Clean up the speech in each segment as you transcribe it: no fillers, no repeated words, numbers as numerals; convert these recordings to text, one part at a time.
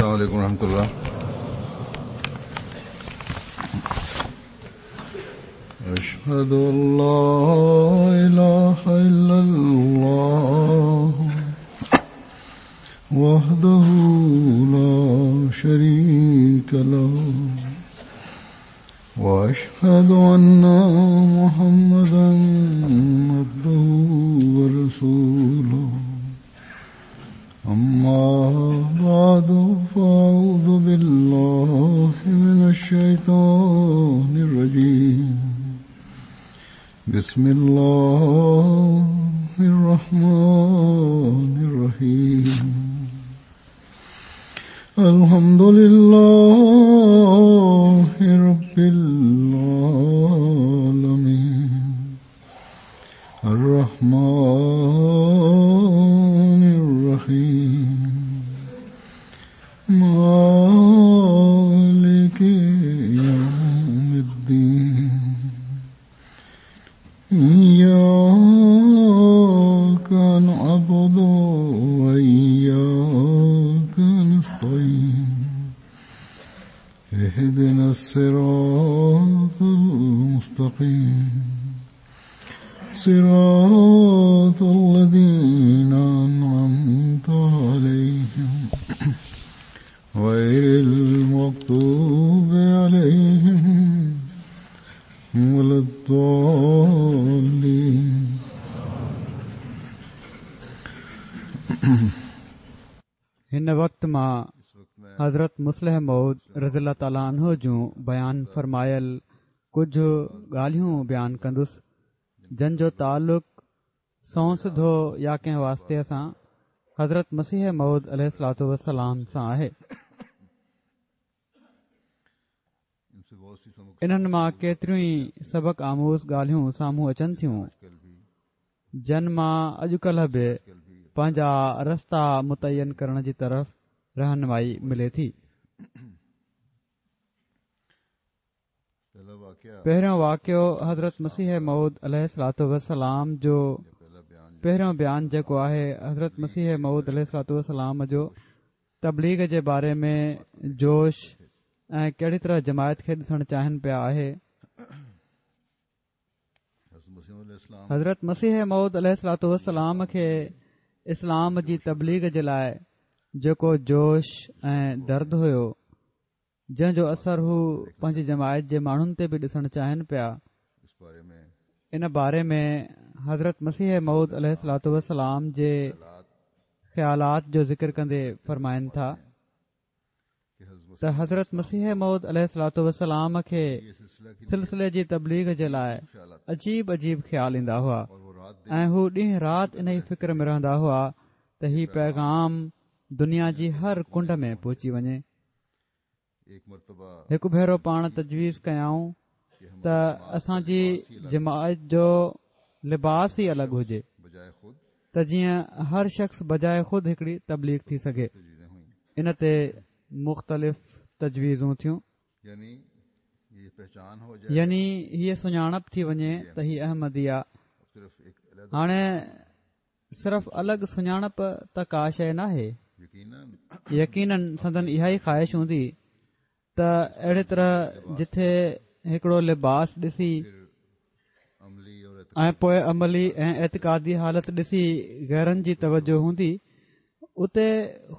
السلام عليڪم ورحمة الله. أشهد أن لا إله إلا الله وحده لا شريك له وأشهد أن محمدا عبده ورسوله. أما بعد فأعوذ بالله من الشيطان الرجيم. بسم الله الرحمن الرحيم. الحمد لله رب العالمين الرحمن الرحيم مالك يوم الدين إياك نعبد وإياك نستعين اهدنا الصراط المستقيم صراط الذين أنعمت عليهم غير المغضوب عليهم ولا الضالين. هن وقت مان حضرت مصلح موعود رضي الله تعالٰي عنه جون بيان فرمايل ڪجهه ڳالهيون بيان ڪندس، جن جو تعلق سنئون سڌو يا ڪنهن واسطي سان حضرت مسيح موعود عليه الصلوة والسلام سان آهي. انهن مان ڪيتريون ئي سبق آموز ڳالهيون سامهون اچن ٿيون، جن مان اڄڪلهه به پنهنجا رستا متعين ڪرڻ جي طرف رهنمائي ملي ٿي. پهريون واقعو حضرت مسيح موعود عليه الصلوة والسلام جو پهريون بيان جيڪو آهي حضرت مسيح موعود عليه الصلوة والسلام جو تبليغ جي باري ۾ جوش ۽ ڪهڙي طرح جماعت کي ڏسڻ چاهين پيا آهي. حضرت مسيح موعود عليه الصلوة والسلام کي اسلام جي تبليغ جي لاء جيڪو جوش ۽ درد هيو جنهن جو اثر هو پنهنجي جماعت جي ماڻهن تي به ڏسڻ چاهين پيا. ان باري ۾ حضرت مسيح موعود عليه الصلوة والسلام جي خيالات جو ذڪر ڪندي فرمائن ٿا ته حضرت مسيح موعود عليه الصلوة والسلام کي سلسلي جي تبليغ جي لاء عجيب عجيب خيال ايندا هئا ۽ هو ڏينهن رات انهي فڪر ۾ رهندا هئا ته هي پيغام دنيا جي هر ڪنڊ ۾ پهچي وڃي. هڪ ڀيرو پاڻ تجويز ڪيائون ته اسان جي جماعت جو لباس ئي الڳ هجي ته جيئن هر شخص بجاء خود هڪڙي تبليغ ٿي سگهي. ان تي مختلف تجويزون ٿيون. يعني هيء سڃاڻپ ٿي وڃي ته هي احمدي آ. هاڻي صرف الڳ سڃاڻپ ته ڪا شيء ناهي. يقينن سندن اها ئي خواهش هوندي ته اهڙي طرح جٿي هڪڙو لباس ڏسي ۽ پوء عملي ۽ اعتقادي حالت ڏسي غيرن جي توجه هوندي اتي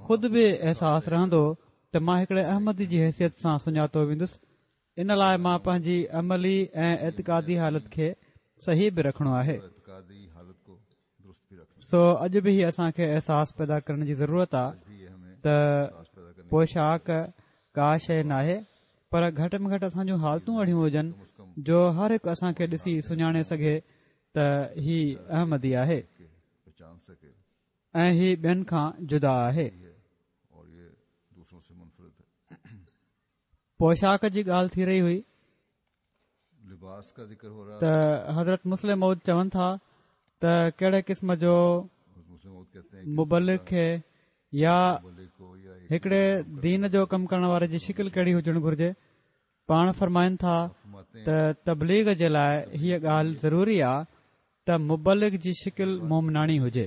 خود به احساس رهندو ته مان هڪڙي احمدي جي حيثيت سان سڃاتو ويندس ان لاء مان پنهنجي عملي ۽ اعتقادي حالت کي صحيح به رکڻو آهي. سو اڄ به هي اسان کي احساس پيدا ڪرڻ جي ضرورت آ ته پوشاڪ ڪا شيء ناهي پر گهٽ ۾ گهٽ اسان جون حالتون اهڙيون هجن جو هر هڪ اسان کي ڏسي سڃاڻي سگهي ته هي احمدي آهي ۽ هي ٻين کان جدا آهي. پوشاڪ جي ڳالهه ٿي رهي هئي ته حضرت مصلح موعود چون ٿا ته ڪهڙي قسم جو مبلغ کي يا هڪڙي دين جو ڪم ڪرڻ واري جي شڪل ڪهڙي هجڻ گهرجي پاڻ فرمائن ٿا ته تبليغ جي لاء هيء ڳالهه ضروري آ ته مبلغ جي شڪل مومناڻي هجي.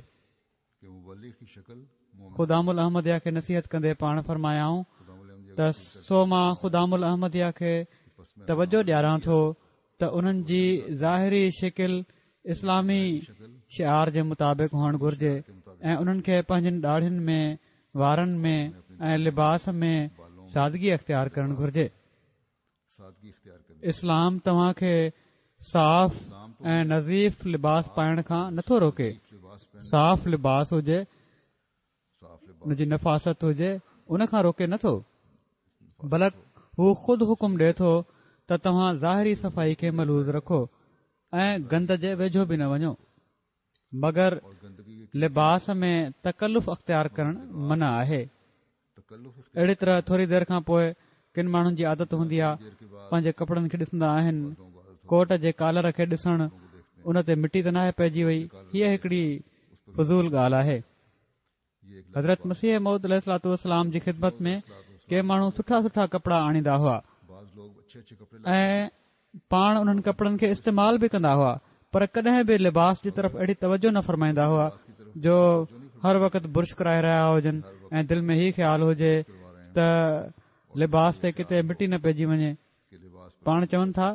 خدام الاحمديه کي نصيحت ڪندي پاڻ فرمايائون ته سو مان خدام الاحمديه کي توجه ڏياران ٿو ته انهن جي ظاهري شڪل اسلامي شعار جي مطابق هئڻ گهرجي ۽ انهن کي پنهنجين ڏاڙهين ۾ وارن ۾ ۽ لباس ۾ سادگي اختيار ڪرڻ گهرجي. اسلام توهان کي صاف ۽ نظيف لباس پائڻ کان نٿو روڪي. صاف لباس هجي، ان جي نفاست هجي، ان کان روڪي نٿو. بلڪ هو خود حڪم ڏئي ٿو ته توهان ظاهري صفائي کي ملحوظ رکو ۽ گند جي ويجهو به نه وڃو. مگر لباس ۾ تڪلف اختيار ڪرڻ منع آهي. اهڙي طرح ٿوري دير کان پوء ڪن ماڻهن جي عادت هوندي آهي پنهنجي ڪپڙن کي ڏسندا آهن ڪوٽ جي ڪالر کي ڏسڻ ان تي مٽي ته ناهي پئجي وئي هيء هڪڙي فضول ڳالهه آهي حضرت مسيح موعود عليه الصلوة والسلام جي خدمت ۾ ڪي ماڻهو سٺا سٺا ڪپڙا آڻيندا هئا ۽ پاڻ انهن ڪپڙن کي استعمال به ڪندا هئا پر ڪڏهن به لباس جي طرف اهڙي توجه نه فرمائيندا هئا جو هر وقت برش ڪرائي رهيا هجن ۽ دل ۾ هي خيال هجي ته لباس تي ڪٿي مٽي نه پئجي وڃي پاڻ چون ٿا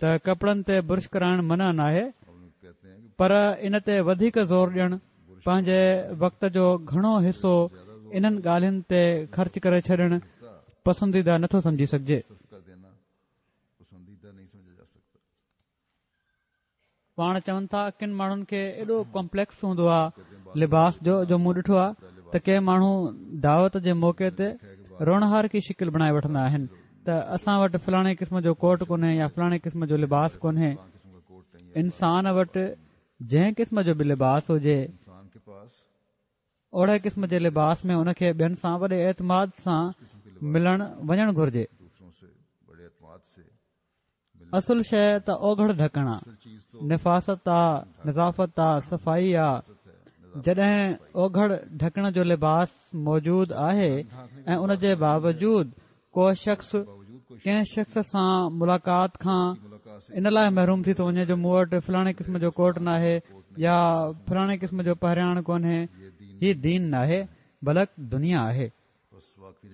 ته ڪپڙن تي برش ڪرائڻ منع ناهي پر ان تي وڌيڪ زور ڏيڻ پنهنجي وقت جو گهڻو حصو انهن ڳالهين تي خرچ ڪري ڇڏڻ پسنديده نٿو سمجهي سگهجي. پاڻ چون ٿا ڪن ماڻهن کي ايڏو ڪمپليڪس هوندو آهي لباس جو جو مون ڏٺو آهي ته ڪي ماڻهو دعوت جي موقعي تي روئڻهارڪي شڪل بڻائي وٺندا آهن ته اسان وٽ فلاڻي قسم جو ڪوٽ ڪونهي يا فلاڻي قسم جو لباس ڪونهي انسان وٽ جنهن قسم جو به لباس هجي اهڙي قسم جي لباس ۾ ان کي ٻين سان وڏي اعتماد سان ملڻ وڃڻ گهرجي. اصل شيء ته اوگهڙ ڍڪڻ آ، نفاست آ، نظافت آ، صفائي آ. جڏهن اوگهڙ ڍڪڻ جو لباس موجود آهي ۽ ان جي باوجود ڪو شخص ڪنهن شخص سان ملاقات کان ان لاء محروم ٿي ٿو وڃي جو مون وٽ فلاڻي قسم جو ڪوٽ ناهي يا فلاڻي قسم جو پهرياڻ ڪونهي هي دين ناهي بلڪ دنيا آهي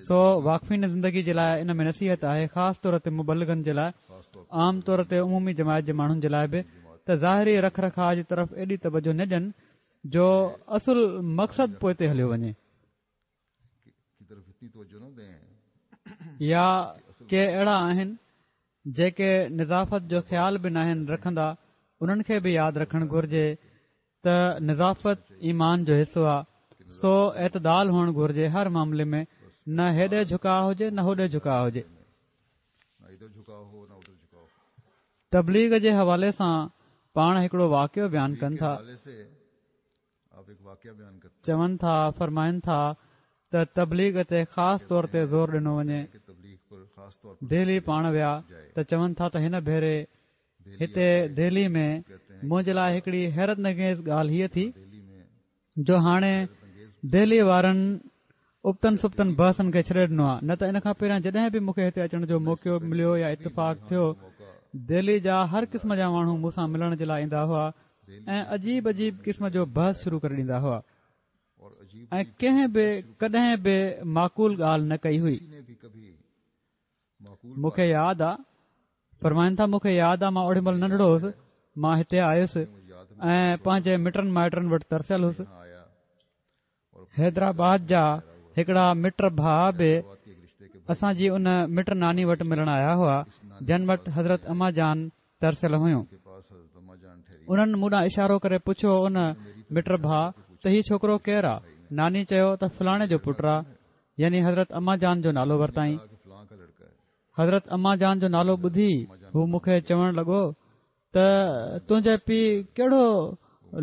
سو واقفين زندگي جي لاء ان ۾ نصيحت آهي خاص طور تي مبلغن جي لاء عام طور تي عمومي جماعت جي ماڻهن جي لاء به ته ظاهري رک رکاء جي طرف ايڏي توجه نه ڏين جو اصل مقصد پوئتي هليو وڃي يا ڪي اهڙا آهن جيڪي نظافت جو خيال به ناهن رکندا انهن کي به ياد رکڻ گهرجي ته نظافت ايمان جو حصو آهي سو اعتدال هئڻ گهرجي هر معاملي ۾ نه هيڏي جهڪاء هجي نه هوڏي جهڪاء هجي تبليغ جي حوالي سان پاڻ هڪڙو واقعو بيان ڪن ٿا چون ٿا، فرمائن ٿا ته تبليغ تي خاص طور تي زور ڏنو وڃي. دهلي پاڻ ويا ته چون ٿا ته هن ڀيري هتي دهلي ۾ منهنجي لاء هڪڙي حيرت انگيز ڳالهه هيء ٿي جو هاڻي دهلي وارن ابتن سبتن بحثن کي ڇڏي ڏنو آهي نه ته ان کان پهريان جڏهن به مون کي هتي اچڻ جو موقعو مليو يا اتفاق ٿيو دهلي جا هر قسم جا ماڻهو مون سان ملڻ جي لاء ايندا هئا ۽ عجيب عجيب قسم جو بحث شروع ڪري ڏيندا هئا ۽ ڪنهن به ڪڏهن به معقول ڳالهه نه ڪئي هئي مون کي ياد آ فرمائن ٿا مون کي ياد آ مان اوڏي مهل ننڍڙو هوس مان هتي آيس ۽ پنهنجي مٽن مائٽن وٽ ترسيل هوس حيدرآباد جا هڪڙا مٽ ڀاء به اسان جي ان مٽ ناني وٽ ملڻ آيا هئا جن وٽ حضرت اما جان ترسيل هيون انهن مون ڏانهن اشارو ڪري پڇيو ان مٽ ڀاء ته هي ڇوڪرو ڪير آ ناني چيو ته فلاڻي جو پٽ آ يعني حضرت اما جان جو نالو ورتائين. حضرت اما جان جو نالو ٻڌي هو مون کي چوڻ لڳو ته تنهنجي پيء ڪهڙو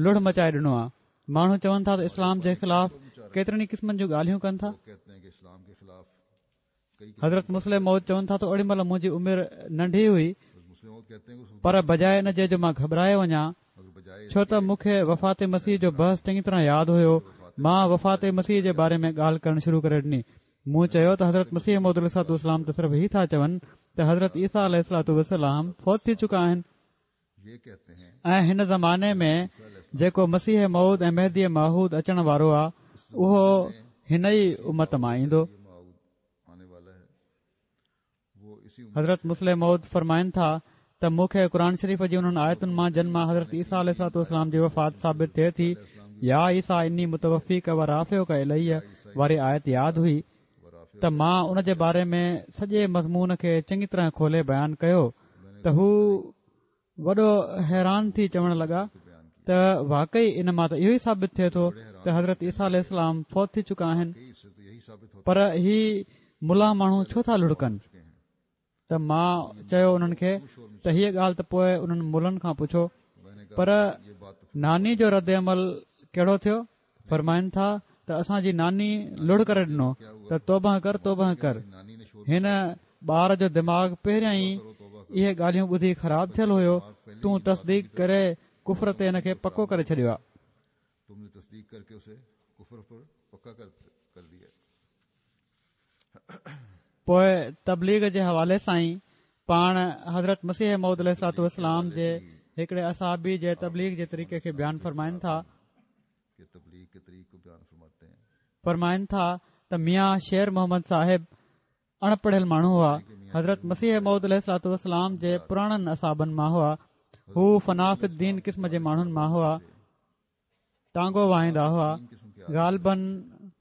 لڙ مچائي ڏنو آ. ماڻهو چون ٿا ته اسلام جي خلاف ڪيترن ئي قسمن جون ڳالهيون ڪن ٿا. حضرت مصلح موعود چون ٿا ته اوڏي مهل منهنجي عمر ننڍي هئي پر بجاء ان جي جو مان گهٻرائي وڃان ڇو ته مون کي وفات مسيح جو بحث چڱي طرح ياد هيو مان وفات مسيح جي باري ۾ ڳالهه ڪرڻ شروع ڪري ڏني مون چيو ته حضرت مسيح موعود عليه الصلوة والسلام ته صرف هي ٿا چون ته حضرت عيسيٰ عليه الصلوة والسلام فوت ٿي چڪا آهن ۽ هن زماني ۾ جيڪو مسيح موعود ۽ مهدي معهود اچڻ وارو آهي. اهو هن ئي امت مان ايندو. حضرت مصلح موعود فرمائن ٿا ته مون کي قرآن شريف جي انهن آيتن مان جن مان حضرت عيسيٰ عليه الصلوة والسلام جي وفات ثابت ٿئي ٿي يا عيسيٰ اني متوفيڪ و رافعڪ الي واري آيت ياد هئي ته مان ان جي باري ۾ سڄي مضمون کي چڱي طرح کولي بيان ڪيو ته هو وڏو حيران ٿي چوڻ لڳا ته واقعي ان مان ته اهو ئي ثابت ٿئي ٿو ته حضرت عيسيٰ عليه السلام فوت ٿي چڪا آهن پر هي ملا ماڻهو ڇو ٿا لڙڪن ته مان چيو انهن کي ته هيء ڳالهه ته پوء انهن ملن کان پڇو پر ناني جو رد عمل ڪهڙو ٿيو فرمائن ٿا ته اسان جي ناني لڙ ڪري ڏنو ته توبه ڪر توبه ڪر هن ٻار جو دماغ پهريان ئي اهي ڳالهيون ٻڌي خراب ٿيل هيو تون تصديق ڪري ڪفر تي هن کي پڪو ڪري ڇڏيو آ. پوء تبليغ جي حوالي سان ئي پاڻ حضرت مسيح موعود عليه الصلوة والسلام جي هڪڙي اصحابي جي تبليغ جي طريقي کي بيان فرمائن ٿا. فرمائن ٿا ته ميان شير محمد صاحب اڻ پڙهيل ماڻهو هئا. حضرت مسيح موعود عليه الصلوة والسلام جي پراڻن اصحابن مان هئا. هو فنا في الدين قسم جي ماڻهن مان هئا. ٽانگو وهائيندا هئا. غالباً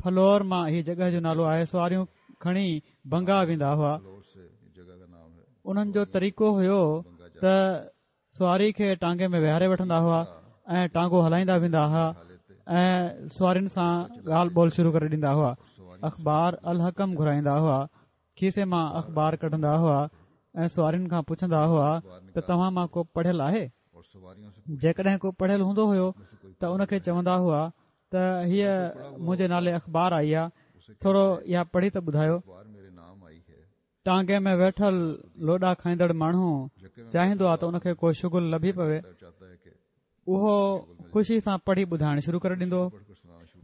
ڦلور مان هي جڳهه جو نالو آهي سواريون کڻي بنگا ويندا هئا. انهن جو طريقو هيو ته سواري کي ٽانگي ۾ ويهاري وٺندا هئا ۽ ٽانگو هلائيندا ويندا هئا ۽ سوارين سان ڳالهه ٻولهه شروع ڪري ڏيندا هئا. اخبار الحڪم گهرائيندا هئا. کيسي مان اخبار ڪڍندا هئا ۽ سوارين کان پڇندا هئا ته توهان مان ڪو پڙهيل آهي؟ جيڪڏهن ڪو پڙهيل هوندو هيو ته ان کي چوندا هئا ته هيء منهنجي نالي اخبار آئي آهي ٿورو اها پڙهي ته ٻڌايو. ٽانگي ۾ ويٺل لوڏا کائيندڙ ماڻهو چاهيندو آهي ته ان کي ڪو شغل لڀي پوي. اهو خوشي سان پڙهي ٻڌائڻ شروع ڪري ڏيندو هو.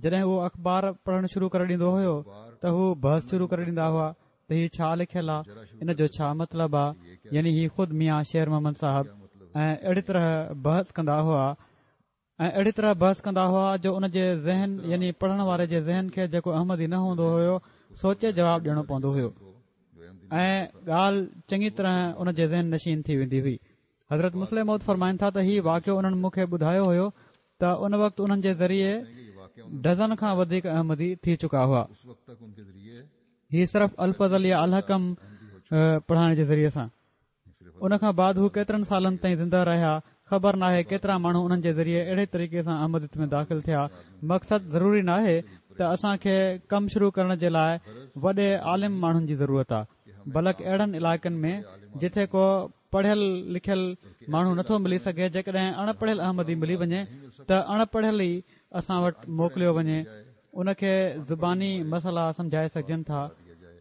جڏهن اهو اخبار پڙهڻ شروع ڪري ڏيندو هيو ته هو بحث شروع ڪري ڏيندا هئا ته هي ڇا لکيل آ ان جو ڇا مطلب آ يعني هي خود ميان شير محمد صاحب ۽ اهڙي طرح بحث ڪندا هئا ۽ اهڙي طرح بحث ڪندا هئا جو ان جي ذهن يعني پڙهڻ واري جي ذهن کي جيڪو احمدي نه هوندو هيو سوچي جواب ڏيڻو پوندو هيو ۽ ڳالهه چڱي طرح ان جي ذهن نشين ٿي ويندي هئي حضرت مصلح موعود فرمائن ٿا ته هي واقعو انهن مون کي ٻڌايو هيو ته ان وقت انهن جي ذريعي ڊزن کان وڌيڪ احمدي ٿي چڪا هئا هي صرف الفضل يا الحڪم پڙهائڻ جي ذريعي سان ان کان بعد هو ڪيترن سالن تائين زنده رهيا خبر ناهي ڪيترا ماڻهو انهن جي ذريعي اهڙي طريقي سان احمديت ۾ داخل ٿيا مقصد ضروري ناهي ته اسان کي ڪم شروع ڪرڻ جي لاء وڏي عالم ماڻهن جي ضرورت آهي بلڪ اهڙن علائقن ۾ جتي ڪو پڙهيل لکيل ماڻهو نٿو ملي سگهي جيڪڏهن اڻ پڙهيل احمدي ملي وڃي ته اڻ پڙهيل ئي اسان وٽ موڪليو وڃي ان کي زباني مسئلا سمجهائي سگهجن ٿا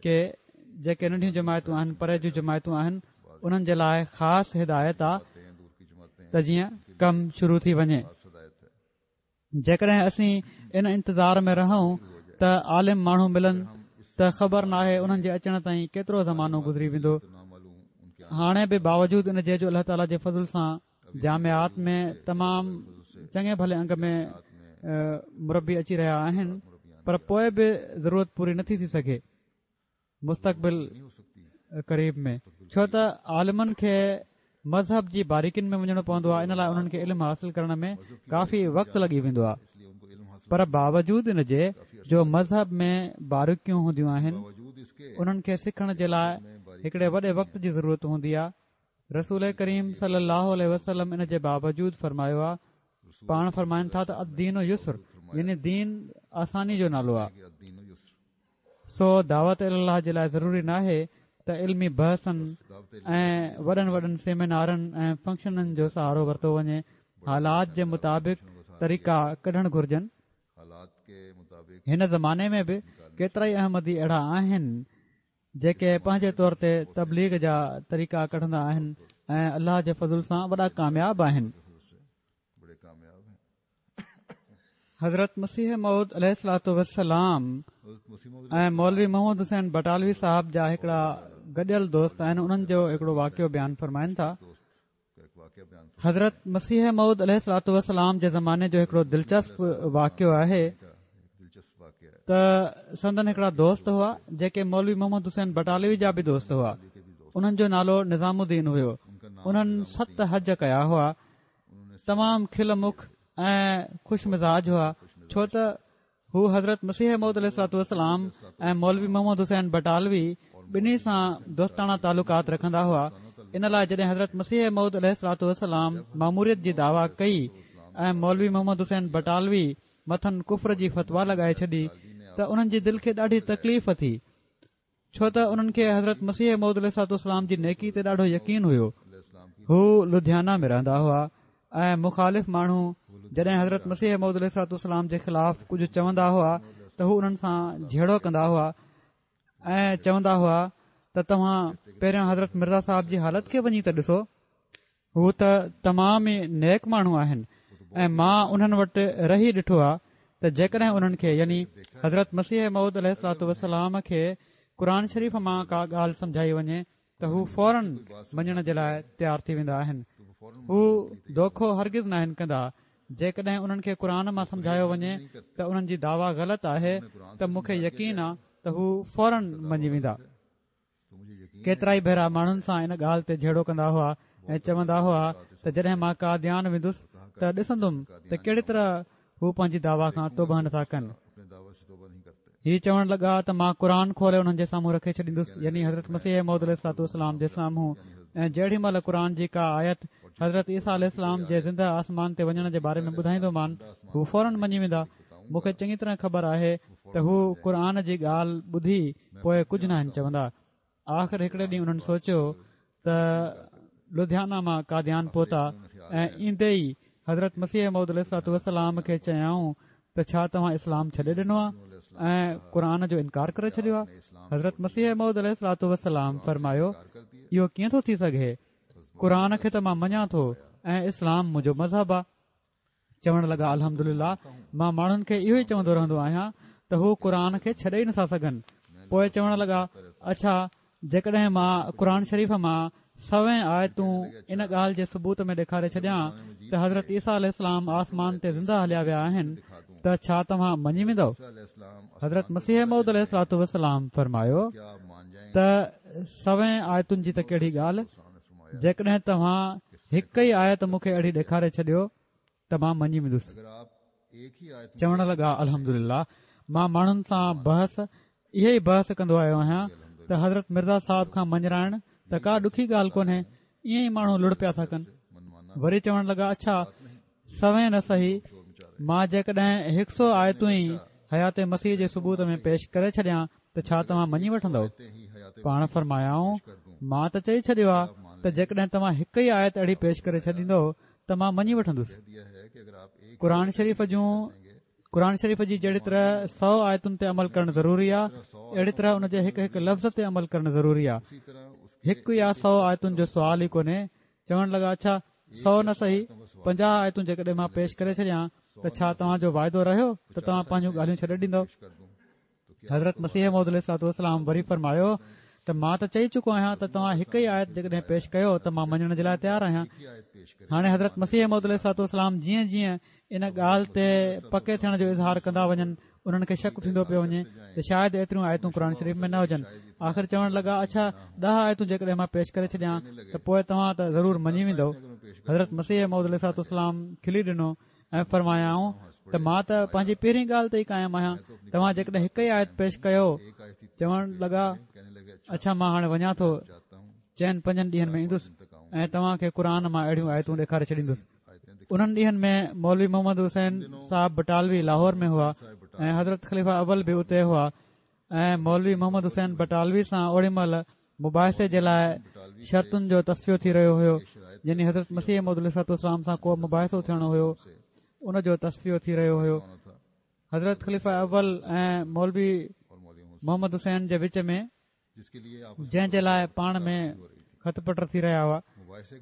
ڪي جيڪي ننڍيون جماعتون آهن پري جون جماعتون آهن انهن جي لاء خاص هدايت آ ته جيئن ڪم شروع ٿي وڃي جيڪڏهن اسين ان انتظار ۾ رهون ته عالم ماڻهو ملن ته خبر ناهي انهن جي اچڻ تائين ڪيترو زمانو گذري ويندو هاڻي به باوجود ان جي جو الله تعاليٰ جي فضل سان جامعات ۾ تمام چڱي ڀلي انگ ۾ مربي اچي رهيا آهن پر پوء به ضرورت پوري نٿي ٿي سگهي مستقبل قريب ۾ ڇو ته عالمن کي مذهب جي باريڪين ۾ وڃڻو پوندو آهي ان لاء انهن کي علم حاصل ڪرڻ ۾ ڪافي وقت لڳي ويندو آهي پر باوجود ان جي جو مذهب ۾ باريڪيون هونديون آهن انهن کي سکڻ جي لاء هڪڙي وڏي وقت جي ضرورت هوندي آهي رسول ڪريم صلي الله عليه وسلم ان جي باوجود فرمايو آهي پاڻ فرمائن ٿا ته الدين يسر يعني دين آساني جو نالو آهي سو دعوت الي الله جي لاء ضروري ناهي ته علمي بحثن ۽ وڏن وڏن سيمينارن ۽ فنڪشنن جو سهارو ورتو وڃي، حالات جي مطابق طريقا ڪڍڻ گهرجن. هن زماني ۾ به ڪيترائي احمدي اهڙا آهن جيڪي پنهنجي طور تي تبليغ جا طريقا ڪڍندا آهن ۽ الله جي فضل سان وڏا ڪامياب آهن. حضرت مسيح موعود عليه الصلوة والسلام ۽ مولوي محمد حسين بٽالوي صاحب جا هڪڙا گڏيل دوست آهن انهن جو هڪڙو واقعو بيان فرمائن ٿا حضرت مسيح موعود عليه الصلوة والسلام جي زماني جو هڪڙو دلچسپ واقعو آهي. ته سندن هڪڙا دوست هئا جيڪي مولوي محمد حسين بٽالوي جا به دوست هئا انهن جو نالو نظام الدين هيو انهن ست حج ڪيا هئا تمام کل مک ۽ خوش مزاج هئا ڇو ته هو حضرت مسيح موعود عليه الصلوة والسلام ۽ مولوي محمد حسين بٽالوي ٻنهي سان دوستاڻا تعلقات رکندا هئا ان لاء جڏهن حضرت مسيح موعود عليه الصلوة والسلام ماموريت جي دعويٰ ڪئي ۽ مولوي محمد حسين بٽالوي مٿن ڪفر جي فتويٰ لڳائي ڇڏي ته انهن جي دل کي ڏاڍي تڪليف ٿي ڇو ته انهن کي حضرت مسيح موعود عليه الصلوة والسلام جي نيڪي تي ڏاڍو يقين هيو. هو لڌيانا ۾ رهندا هئا ۽ مخالف ماڻهو جڏهن حضرت مسيح موعود عليه الصلوة والسلام جي خلاف ڪجهه چوندا هئا ته هو انهن سان جهيڙو ڪندا هئا ۽ چوندا هئا ته توهان پهريان حضرت مرزا صاحب جي حالت کي وڃي ته ڏسو هو ته تمام ئي نيڪ ماڻهو آهن ۽ مان انهن وٽ رهي ڏٺو آهي ته جيڪڏهن انهن کي يعني حضرت مسيح موعود عليه الصلوة والسلام کي قرآن شريف مان ڪا ڳالهه سمجهائي وڃي ته هو فورن مڃڻ جي لاء تيار ٿي ويندا آهن هو دوکو هرگز ناهن ڪندا جيڪڏهن انهن کي قرآن مان سمجهايو وڃي ته انهن جي دعويٰ غلط آهي ته مون کي يقين آ ته هو فورن مڃي ويندا ڪيترائي ڀيرا ماڻهن سان ان ڳالهه تي جهيڙو ڪندا هئا ۽ چوندا هئا ته جڏهن مان قاديان ويندس ته ڏسندم ته ڪهڙي طرح هو پنهنجي دعويٰ کان توبهه نٿا ڪن. هي چوڻ لڳا ته مان قرآن کولي انهن جي سامهون رکي ڇڏيندس يعني حضرت مسيح موعود عليه الصلوة والسلام جي سامهون ۽ جهڙي مهل قرآن جي ڪا آيت حضرت عيسيٰ عليه السلام جي زنده آسمان تي وڃڻ جي باري ۾ ٻڌائيندومان هو فورن مڃي ويندا مون کي چڱي طرح خبر آهي ته هو قرآن جي ڳالهه ٻڌي پوء ڪجهه ناهن چوندا. آخر هڪڙي ڏينهن انهن سوچيو ته لڌيانا مان قاديان پهتا ۽ ايندي ئي حضرت مسيح موعود عليه الصلوة والسلام کي چيائون ته ڇا توهان اسلام ڇڏي ڏنو آهي ۽ قرآن جو انڪار ڪري ڇڏيو آهي؟ حضرت مسيح موعود عليه الصلوة والسلام فرمايو اهو ڪيئن ٿو ٿي سگهي؟ قرآن کي ته مان مڃان ٿو ۽ اسلام منهنجو مذهب آهي. چوڻ لڳا الحمدلله مان ماڻهن کي اهو ئي چوندو رهندو آهيان ته هو قرآن کي ڇڏي ئي نٿا سگهن پوء چوڻ لڳا اڇا جيڪڏهن مان قرآن شريف مان سوين آيتون ان ڳالهه جي ثبوت ۾ ڏيکاري ڇڏيان ته حضرت عيسيٰ عليه السلام آسمان تي زنده هليا ويا آهن ته ڇا توهان مڃي ويندؤ حضرت مسيح موعود عليه الصلوة والسلام فرمايو ته سوين آيتن جي ته ڪهڙي ڳالهه جيڪڏهن توهان هڪ ئي آيت مون کي اهڙي ڏيکاري ڇڏيو ته مان مڃي ويندس. چوڻ لڳا الحمدلله مان ماڻهن سان بحث اهي ئي بحث ڪندو آيو آهيان ته حضرت مرزا صاحب کان مڃرائڻ ته ڪا ڏکي ڳالهه ڪونهي ائين ئي ماڻهو لڙ پيا ٿا ڪن. وري چوڻ لڳا اڇا سوين نه سهي مان جيڪڏهن هڪ سو آيتون ئي حيات مسيح جي ثبوت ۾ پيش ڪري ڇڏيان ته ڇا توهان مڃي وٺندؤ؟ پاڻ فرمايائون، مان ته چئي ڇڏيو آهي ته جيڪڏهن توهان هڪ ئي آيت اهڙي پيش ڪري ڇڏيندؤ ته مان مڃي وٺندس. قرآن شريف جون قرآن شريف جي جهڙي طرح سو آيتن تي عمل ڪرڻ ضروري آهي اهڙي طرح ان جي هڪ هڪ لفظ تي عمل ڪرڻ ضروري آهي. هڪ يا سو آيتن جو سوال ئي ڪونهي. چوڻ لڳا اڇا سو نه سهي 50 آيتون جيڪڏهن مان پيش ڪري ڇڏيان ته ڇا توهان جو واعدو رهيو ته توهان پنهنجون ڳالهيون ڇڏي ڏيندؤ؟ حضرت مسيح موعود عليه الصلوة والسلام وري فرمايو ته مان ته چئي چڪو آهيان ته توهان هڪ ئي آيت جيڪڏهن پيش ڪيو ته مان مڃڻ جي لاء تيار آهيان هاڻي حضرت مسيح موعود عليه الصلوة والسلام جيئن جيئن ان ڳالهه تي پڪي ٿيڻ جو اظهار ڪندا وڃن انهن کي شڪ ٿيندو پيو وڃي ته شايد ايتريون آيتون قرآن شريف ۾ نه هجن آخر چوڻ لڳا اڇا ڏهه آيتون جيڪڏهن مان پيش ڪري ڇڏيان ته پوء توهان ته ضرور مڃي ويندؤ حضرت مسيح موعود عليه الصلوة والسلام کلي ڏنو ۽ فرمايائون ته مان ته پنهنجي پهرين ڳالهه تي ئي قائم آهيان توهان جيڪڏهن هڪ ئي آيت پيش ڪيو چوڻ لڳا اڇا مان هاڻي وڃان ٿو چئن پنجن ڏينهن ۾ ايندس ۽ توهان کي قرآن مان اهڙيون آيتون ڏيکاري ڇڏيندس انهن ڏينهن ۾ مولوي محمد حسين صاحب بٽالوي لاهور ۾ هئا ۽ حضرت خليفه اول به اتي هئا ۽ مولوي محمد حسين بٽالوي سان اوڏي مهل مباحثي جي لاء شرطن جو تصفيو ٿي رهيو هيو يعني حضرت مسيح موعود عليه الصلوة والسلام سان ڪو مباحثو ٿيڻو هيو ان جو تصفيو ٿي رهيو هيو حضرت خليفه اول ۽ مولوي محمد حسين جي وچ ۾ جنهن جي لاء پاڻ ۾ خط پٽ ٿي رهيا هئا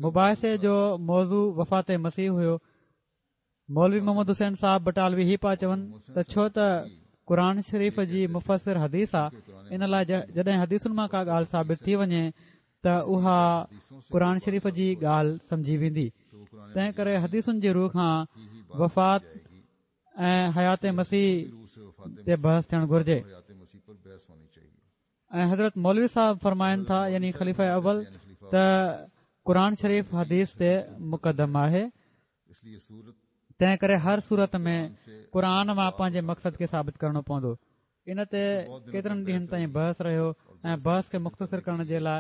مباحثي جو موضوع وفات مسيح هيو مولوي محمد حسين صاحب بٽالوي هي پيا چون ته ڇو ته قرآن شريف جي مفسر حديث آ ان لاء جڏهن حديثن مان ڪا ڳالهه ثابت ٿي وڃي ته اها قرآن شريف جي ڳالهه سمجهي ويندي تنهن ڪري حديثن جي رو کان وفات ۽ حيات مسيح تي بحث ٿيڻ گهرجي. ۽ حضرت مولوي صاحب فرمائن ٿا يعني خليفه اول ته قرآن شريف حديث تي مقدم آهي تنهن ڪري هر صورت ۾ قرآن مان پنهنجي مقصد کي ثابت ڪرڻو پوندو ان تي ڪيترن ڏينهن تائين بحث رهيو ۽ بحث کي مختصر ڪرڻ جي لاء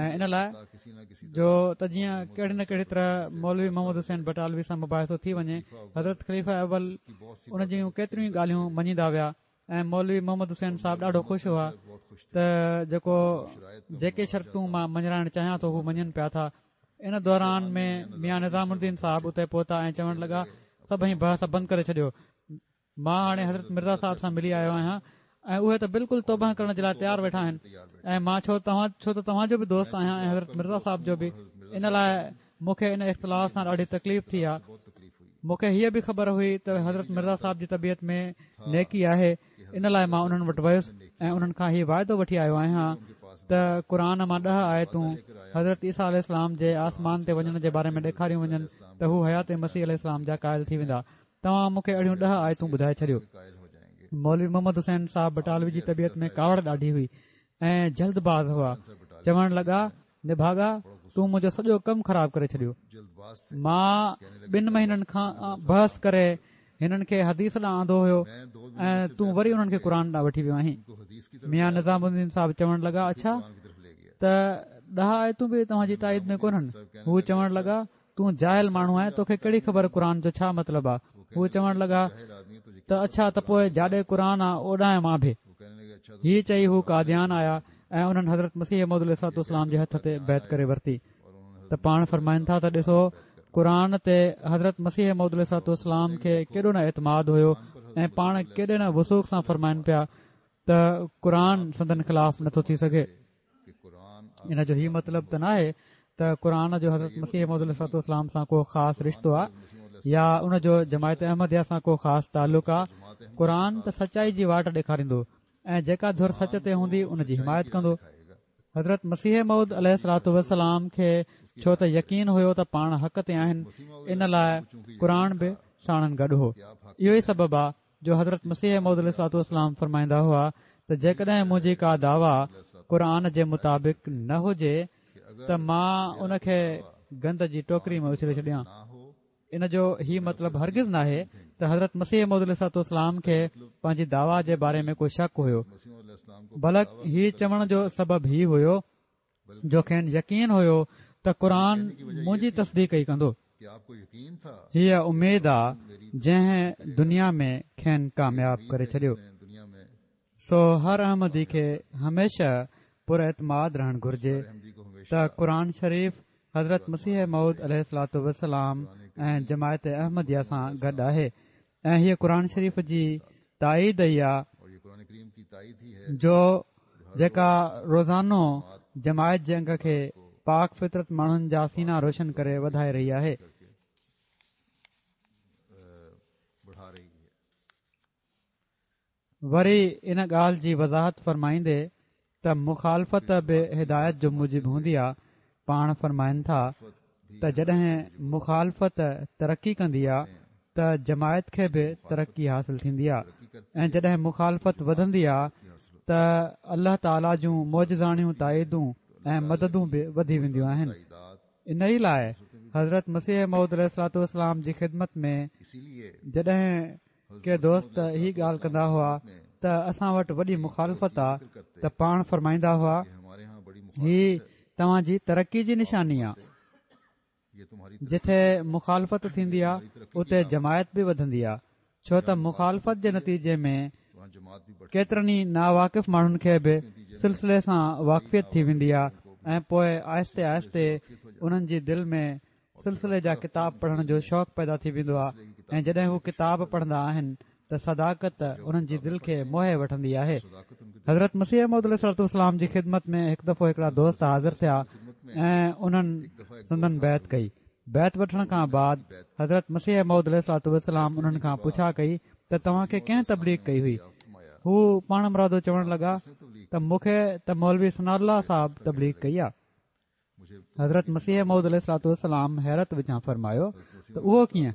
۽ ان لاء جو ته جيئن ڪهڙي نه ڪهڙي طرح مولوي محمد حسين بٽالوي سان مباحثو ٿي وڃي حضرت خليفه اول ان جون ڪيتريون ئي ڳالهيون مڃيندا ويا ۽ مولوي محمد حسين صاحب ڏاڍو خوش هئا ته جيڪو جيڪي شرطون مان مڃرائڻ چاهيان ٿو هو مڃن پيا ٿا ان دوران ۾ ميان نظام الدين صاحب اتي پهتا ۽ چوڻ لڳا سڀئي بحث بند ڪري ڇڏيو مان هاڻي حضرت مرزا صاحب سان ملي آيو آهيان ۽ اهي ته بلڪل توبه ڪرڻ جي لاء تيار ويٺا آهن ۽ مان ڇو توهان ڇو ته توهان جو به دوست آهيان ۽ حضرت مرزا صاحب جو به ان لاء مون کي ان اختلاف سان ڏاڍي تڪليف ٿي آ. مون کي هيء به خبر هئي ته حضرت مرزا صاحب جي طبيعت ۾ نيڪي آهي، ان لاء مان انهن وٽ ويس ۽ انهن کان هي واعدو وٺي آيو آهيان ته قرآن مان ڏهه آيتون حضرت عيسيٰ عليه السلام جي آسمان تي وڃڻ جي باري ۾ ڏيکاريون وڃن ته هو حيات مسيح عليه السلام جا قائل ٿي ويندا. توهان مون کي اهڙيون ڏهه آيتون ٻڌائي ڇڏيو. مولوي محمد حسين صاحب بٽالوي جي طبيعت ۾ ڪاوڙ ڏاڍي هئي ۽ جلد باز هئا. چوڻ لڳا، نڀاڳا، تون منهنجو سڄو ڪم خراب ڪري ڇڏيو. مان ٻن مهينن کان بحث ڪري هنن کي حديث ڏانهن آندو هيو ۽ تون وري انهن کي قرآن ڏانهن وٺي ويو آهين. ميان نظام الدين صاحب چوڻ لڳا، اڇا! ته ڏهه آيتون به توهان جي تائيد ۾ ڪونهن. هو چوڻ لڳا، تون جاهل ماڻهو آهين توکي ڪهڙي خبر قرآن جو ڇا مطلب آ؟ هو چوڻ لڳا ته اڇا ته پوء جاڏي قرآن آ اوڏانهن مان به. هي چئي هو قاديان آيا ۽ انهن حضرت مسيح موعود عليه الصلوة والسلام جي هٿ تي بيعت ڪري ورتي ته پاڻ فرمائن ٿا ته ڏسو قرآن تي حضرت مسيح موعود عليه الصلوة والسلام کي ڪيڏو نه اعتماد هيو ۽ پاڻ ڪيڏي نه وثوق سان فرمائن پيا ته قرآن سندن خلاف نٿو ٿي سگهي. ان جو هي مطلب ته ناهي ته قرآن جو حضرت مسيح موعود عليه الصلوة والسلام سان ڪو خاص رشتو آ يا ان جو جماعت احمديه سان ڪو خاص تعلق آ. قرآن ته سچائي جي واٽ ڏيکاريندو ۽ جيڪا ڌر سچ تي هوندي ان جي حمايت ڪندو. حضرت مسيح موعود عليه الصلوة والسلام کي ڇو ته يقين هيو ته پاڻ حق تي آهن ان لاء قرآن به ساڻن گڏ هو. اهو ئي سبب آ جو حضرت مسيح موعود عليه الصلوة والسلام فرمائيندا هئا ته جيڪڏهن منهنجي ڪا دعويٰ قرآن جي مطابق نه هجي ته مان ان کي گند جي ٽوڪري ۾ اڇلي ڇڏيان. ان جو هي مطلب هرگز ناهي ته حضرت مسيح موعود عليه الصلوة والسلام کي پنهنجي دعويٰ جي باري ۾ ڪو شڪ هيو بلڪ هي چوڻ جو سبب هي هيو جو کين يقين هيو ته قرآن منهنجي تصديق ئي ڪندو. هيء اميد آ جنهن دنيا ۾ کين ڪامياب ڪري ڇڏيو. سو هر احمدي کي هميشه پراعتماد رهڻ گهرجي ته قرآن شريف حضرت مسيح موعود عليه الصلوة والسلام ۽ جماعت احمديه سان گڏ آهي ۽ هيء قرآن شريف جي تائيد ئي آ جو جيڪا روزانو جماعت جي انگ کي پاڪ فطرت ماڻهن جا سينا روشن ڪري وڌائي رهي آهي. وري ان ڳالهه جي وضاحت فرمائيندي ته مخالفت به هدايت جو موجب هوندي آ، پاڻ فرمائن ٿا ته جڏهن مخالفت ترقي ڪندي آ ته جماعت کي به ترقي حاصل ٿيندي آ ۽ جڏهن مخالفت وڌندي آ ته الله تعاليٰ جون معجزاڻيون تائيدون ۽ مددون به وڌي وينديون آهن. انهي لاء حضرت مسيح موعود عليه الصلوة والسلام جي خدمت ۾ جڏهن ڪي دوست هي ڳالهه ڪندا هئا ته اسان وٽ وڏي مخالفت آ ته پاڻ فرمائيندا هئا هي توهان جي ترقي جي نشاني آ جتي مخالفت ٿيندي آ اتي جماعت به وڌندي آ ڇو ته مخالفت جي نتيجي ۾ ڪيترن ئي ناواقف ماڻهن کي به سلسلي سان واقفيت ٿي ويندي آ ۽ پوء آهستي آهستي انهن جي دل ۾ سلسلي جا ڪتاب پڙهڻ جو شوق پيدا ٿي ويندو آهي ۽ جڏهن هو ڪتاب پڙهندا آهن ته صداقت انهن جي دل کي موهي وٺندي آهي. حضرت مسيح موعود عليه الصلوة والسلام جي خدمت ۾ هڪ دفعو هڪڙا دوست حاضر ٿيا ۽ انهن سندن بيعت ڪئي. بيعت وٺڻ کان بعد حضرت مسيح موعود عليه الصلوة والسلام انهن کان پڇا ڪئي ته توهان کي ڪنهن تبليغ ڪئي هئي؟ هو پاڻمرادو چوڻ لڳا ته مون کي ته مولوي ثناء الله صاحب تبليغ ڪئي آهي. حضرت مسيح موعود عليه الصلوة والسلام حيرت وچان فرمايو ته اهو ڪيئن؟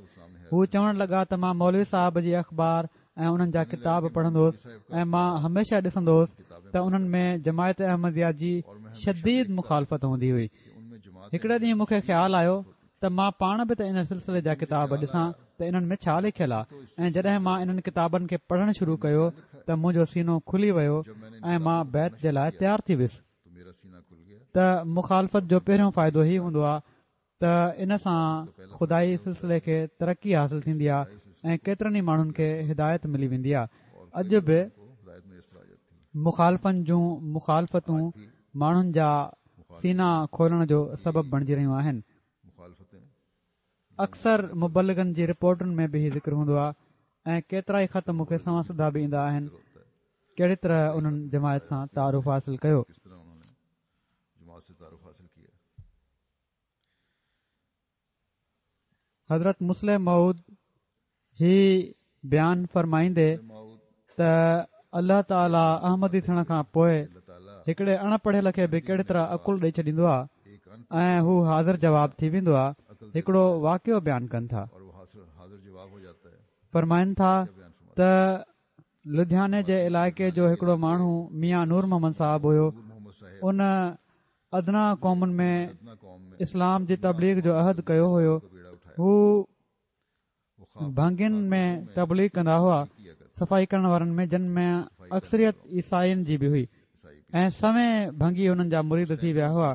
هو چوڻ لڳا ته مان مولوي صاحب جي اخبار ۽ انهن جا ڪتاب پڙهندو هوس ۽ مان هميشه ڏسندو هوس ته انهن ۾ جماعت احمديه جي شديد مخالفت هوندي هئي. هڪڙي ڏينهن مون کي خيال آيو ته مان پاڻ به ته ان سلسلي جا ڪتاب ڏسان ته انهن ۾ ڇا لکيل آ ۽ جڏهن مان انهن ڪتابن کي پڙهڻ شروع ڪيو ته منهنجو سينو کلي ويو ۽ مان بيعت جي لاء تيار ٿي ويس ته مخالفت جو پهريون فائدو هي هوندو آ ته ان سان خدائي سلسلي کي ترقي حاصل ٿيندي آ ۽ ڪيترن ئي ماڻهن کي هدايت ملي ويندي آ اڄ به مخالفن جون مخالفتون ماڻهن جا سينا کولڻ جو سبب بڻجي رهيون آهن. اڪثر مبلغن جي رپورٽن ۾ به هي ذڪر هوندو آهي ۽ ڪيترائي خط مون کي سنوان سڌا به ايندا آهن ڪهڙي طرح انهن جماعت سان تعارف حاصل ڪيو. حضرت مصلح موعود هي بيان فرمائيندي ته الله تعاليٰ احمدي ٿيڻ کان پوء هڪڙي اڻ پڙهيل کي به ڪهڙي طرح عقل ڏئي ڇڏيندو آهي ۽ هو حاضر جواب ٿي ويندو آهي هڪڙو واقعو بيان ڪن ٿا فرمائن ٿا ته لڌياني جي علائقي جو هڪڙو ماڻهو ميان نور محمد صاحب هيو ان ادنيٰ قومن ۾ اسلام جي تبليغ جو عهد ڪيو هيو هو ڀنگين ۾ تبليغ ڪندا هئا صفائي ڪرڻ وارن ۾ جن ۾ اڪثريت عيسائين جي به هئي ۽ سوين ڀنگي انهن جا مريد ٿي ويا هئا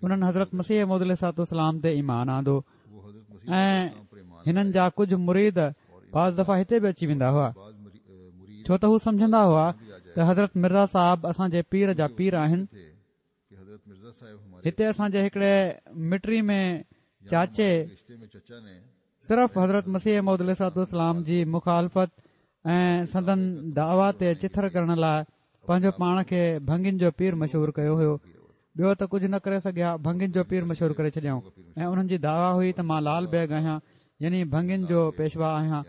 انهن حضرت مسيح موعود عليه الصلوة والسلام تي ايمان آندو ۽ هنن جا ڪجهه مريد بعض دفعا هتي به اچي ويندا هئا ڇو ته هو سمجهندا هئا ته حضرت مرزا صاحب اسان جي پير جا پير آهن هتي اسان جي هڪڙي مٽي ۾ چاچي صرف حضرت مسيح موعود عليه الصلوة والسلام جي مخالفت ۽ سندن دعويٰ تي چٿر ڪرڻ لاء پنهنجو پاڻ کي ڀنگين جو پير مشهور ڪيو هيو ٻيو ته ڪجهه نه ڪري سگهيا ڀنگين جو پير مشهور ڪري ڇڏيائون ۽ انهن جي دعويٰ هئي ته مان لال بيگ آهيان يعني ڀنگين جو پيشوا آهيان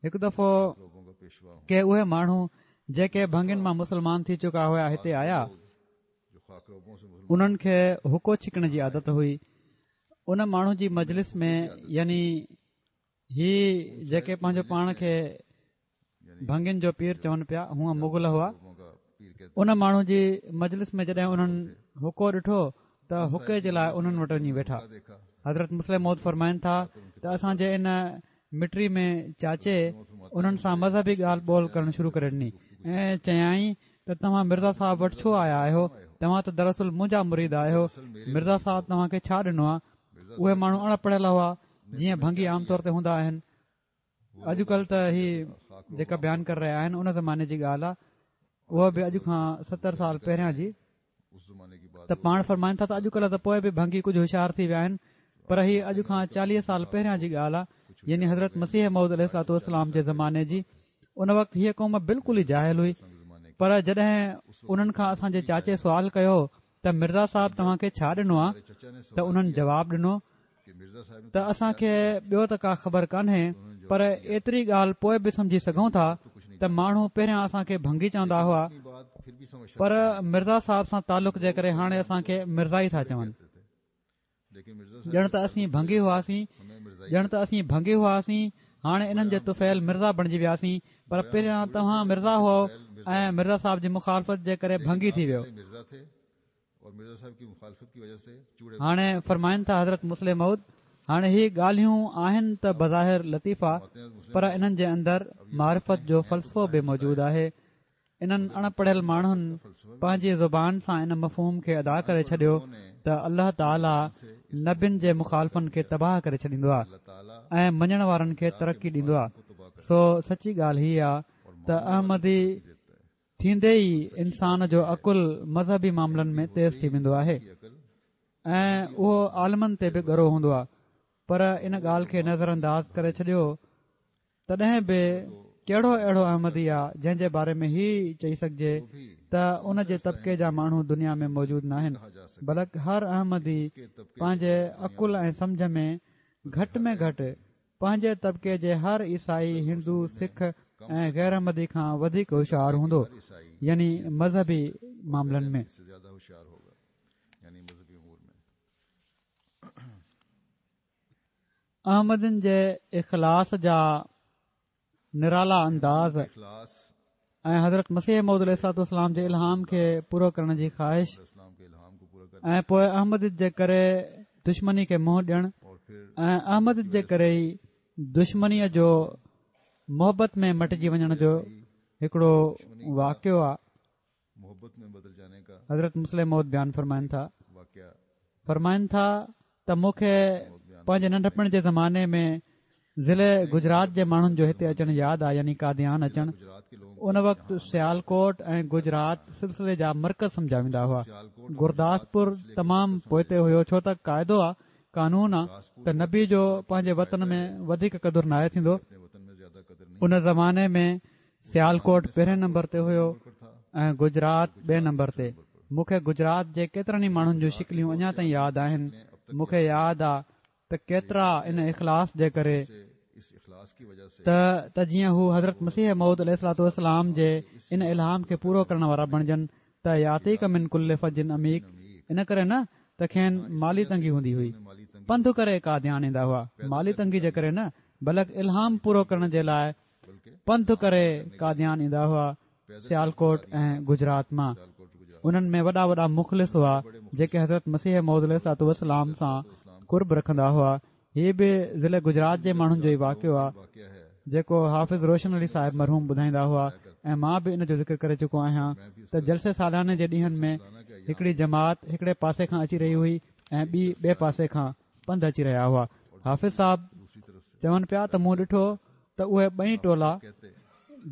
هڪ دفعو ڪي اهي ماڻهو جيڪي ڀنگين مان مسلمان ٿي چڪا هيا هتي آيا انهن کي حقو ڇڪڻ جي عادت هئي ان ماڻهو جي مجلس ۾ يعني هي جيڪي پنهنجو پاڻ کي ڀنگين جو پير چون پيا هونء مغل هئا ان ماڻهو جي مجلس ۾ جڏهن انهن حقو ڏٺو ته حقي جي لاء انهن وٽ وڃي ويٺا حضرت مصلح موعود فرمائن ٿا ته اسان جي ان مٽي ۾ چاچي انهن سان مذهبي ڳالهه ٻولهه ڪرڻ شروع ڪري ڏني ۽ چيائين ته توهان مرزا صاحب وٽ ڇو آيا آهيو توهان ته دراصل منهنجا مريد آهيو مرزا صاحب توهان کي ڇا ڏنو آهي اهي ماڻهو اڻ پڙهيل هئا جيئن ڀنگي عام طور تي هوندا آهن اڄڪلهه ته هي جيڪا بيان ڪري رهيا آهن ان زماني جي ڳالهه آهي اها به اڄ کان ستر سال پهريان جي ته پاڻ فرمائن ٿا ته اڄڪلهه ته پوء به ڀنگي ڪجهه هوشيار ٿي ويا آهن پر هي اڄ کان چاليهه سال پهريان جي ڳالهه آهي يعني حضرت مسيح موعود عليه الصلوة والسلام جي زماني جي ان وقت هيء قوم بلڪل ئي جاهل هئي پر جڏهن انهن کان اسان جي چاچي سوال ڪيو ته مرزا صاحب توهان کي ڇا ڏنو آهي ته انهن جواب ڏنو ته اسان کي ٻيو ته ڪا خبر ڪانهي پر ايتري ڳالهه پوء به سمجهي سگهون ٿا ته ماڻهو پهريان اسان کي ڀنگي چوندا هئا پر مرزا صاحب سان تعلق جي ڪري هاڻي اسان کي مرزائي ٿا چون ڄڻ ته اسين ڀنگي هئاسين ڄڻ ته اسين ڀنگي هئاسين هاڻي انهن جي طفيل مرزا بڻجي وياسين پر پهريان توهان مرزا هئو ۽ مرزا صاحب جي مخالفت جي ڪري ڀنگي ٿي ويو هاڻي فرمائن ٿا حضرت مصلح موعود هاڻي هي ڳالهيون آهن ته بظاهر لطيفا پر انهن جي اندر معرفت جو فلسفو به موجود آهي انهن اڻ پڙهيل ماڻهن پنهنجي زبان سان ان مفهوم کي ادا ڪري ڇڏيو ته الله تعاليٰ نبين جي مخالفن کي تباهه ڪري ڇڏيندو آهي ۽ مڃڻ وارن کي ترقي ڏيندو آهي سو سچي ڳالهه هي آهي ته احمدي ٿيندي ئي انسان جو عقل مذهبي معاملن ۾ تيز ٿي ويندو آهي ۽ اهو عالمن تي به ڳرو هوندو آهي پر ان ڳالهه کي نظر انداز ڪري ڇڏيو تڏهن به ڪهڙو اهڙو احمدي آ جنهن جي باري ۾ هي چئي سگهجي ته ان جي طبقي جا ماڻهو دنيا ۾ موجود ناهن بلڪ هر احمدي پنهنجي عقل ۽ سمجهه ۾ گهٽ ۾ گهٽ پنهنجي طبقي جي هر عيسائي، هندو، سک ۽ غير احمدي کان وڌيڪ هوشيار هوندو يعني مذهبي معاملن ۾. احمدين جي اخلاص جا نرالا انداز ۽ حضرت مسيح موعود عليه الصلوة والسلام جي الهام کي پورو ڪرڻ جي خواهش ۽ پوء احمديت جي ڪري دشمني کي منهن ڏيڻ ۽ احمديت جي ڪري ئي دشمنيء جو محبت ۾ مٽجي وڃڻ جو هڪڙو واقعو آهي. حضرت مصلح موعود بيان فرمائن ٿا فرمائن ٿا ته مون کي پنهنجي ننڍپڻ جي زماني ۾ ضلعي گجرات جي ماڻهن جو هتي اچڻ ياد آ يعني قاديان اچڻ ان وقت سيالڪوٽ ۽ گجرات سلسلي جا مرڪز سمجهيا ويندا هئا گرداسپور تمام پوئتي هيو ڇو ته قاعدو آ قانون آ ته نبي جو پنهنجي وطن ۾ وڌيڪ قدر ناهي ٿيندو ان زماني ۾ سيالڪوٽ پهرين نمبر تي هيو ۽ گجرات ٻئي نمبر تي. مون کي گجرات جي ڪيترن ئي ماڻهن جون شڪليون اڃا تائين ياد آهن. مون کي ياد آ ته ڪيترا ان اخلاص جي ڪري ته ته جيئن هو حضرت مسيح موعود عليه الصلوة والسلام جي ان الهام کي پورو ڪرڻ وارا بڻجن ته ياتيڪ من ڪل فج عميق ان ڪري نه ته کين مالي تنگي هوندي هئي پنڌ ڪري قاديان ايندا هئا مالي تنگي جي ڪري نه بلڪ الهام پورو ڪرڻ جي لاء پنڌ ڪري قاديان ايندا هئا سيالڪوٽ ۽ گجرات مان انهن ۾ وڏا وڏا مخلص هئا جيڪي حضرت مسيح موعود عليه الصلوة والسلام سان قرب رکندا هئا هي به ضلع گجرات جي ماڻهن جو ئي واقعو آهي جيڪو حافظ روشن علي صاحب مرحوم ٻڌائيندا هئا ۽ مان به ان جو ذڪر ڪري چڪو آهيان ته جلسي سالاني جي ڏينهن ۾ هڪڙي جماعت هڪڙي پاسي کان اچي رهي هئي ۽ ٻي ٻئي پاسي کان پنڌ اچي رهيا هئا حافظ صاحب چون پيا ته مون ڏٺو ته اهي ٻئي ٽولا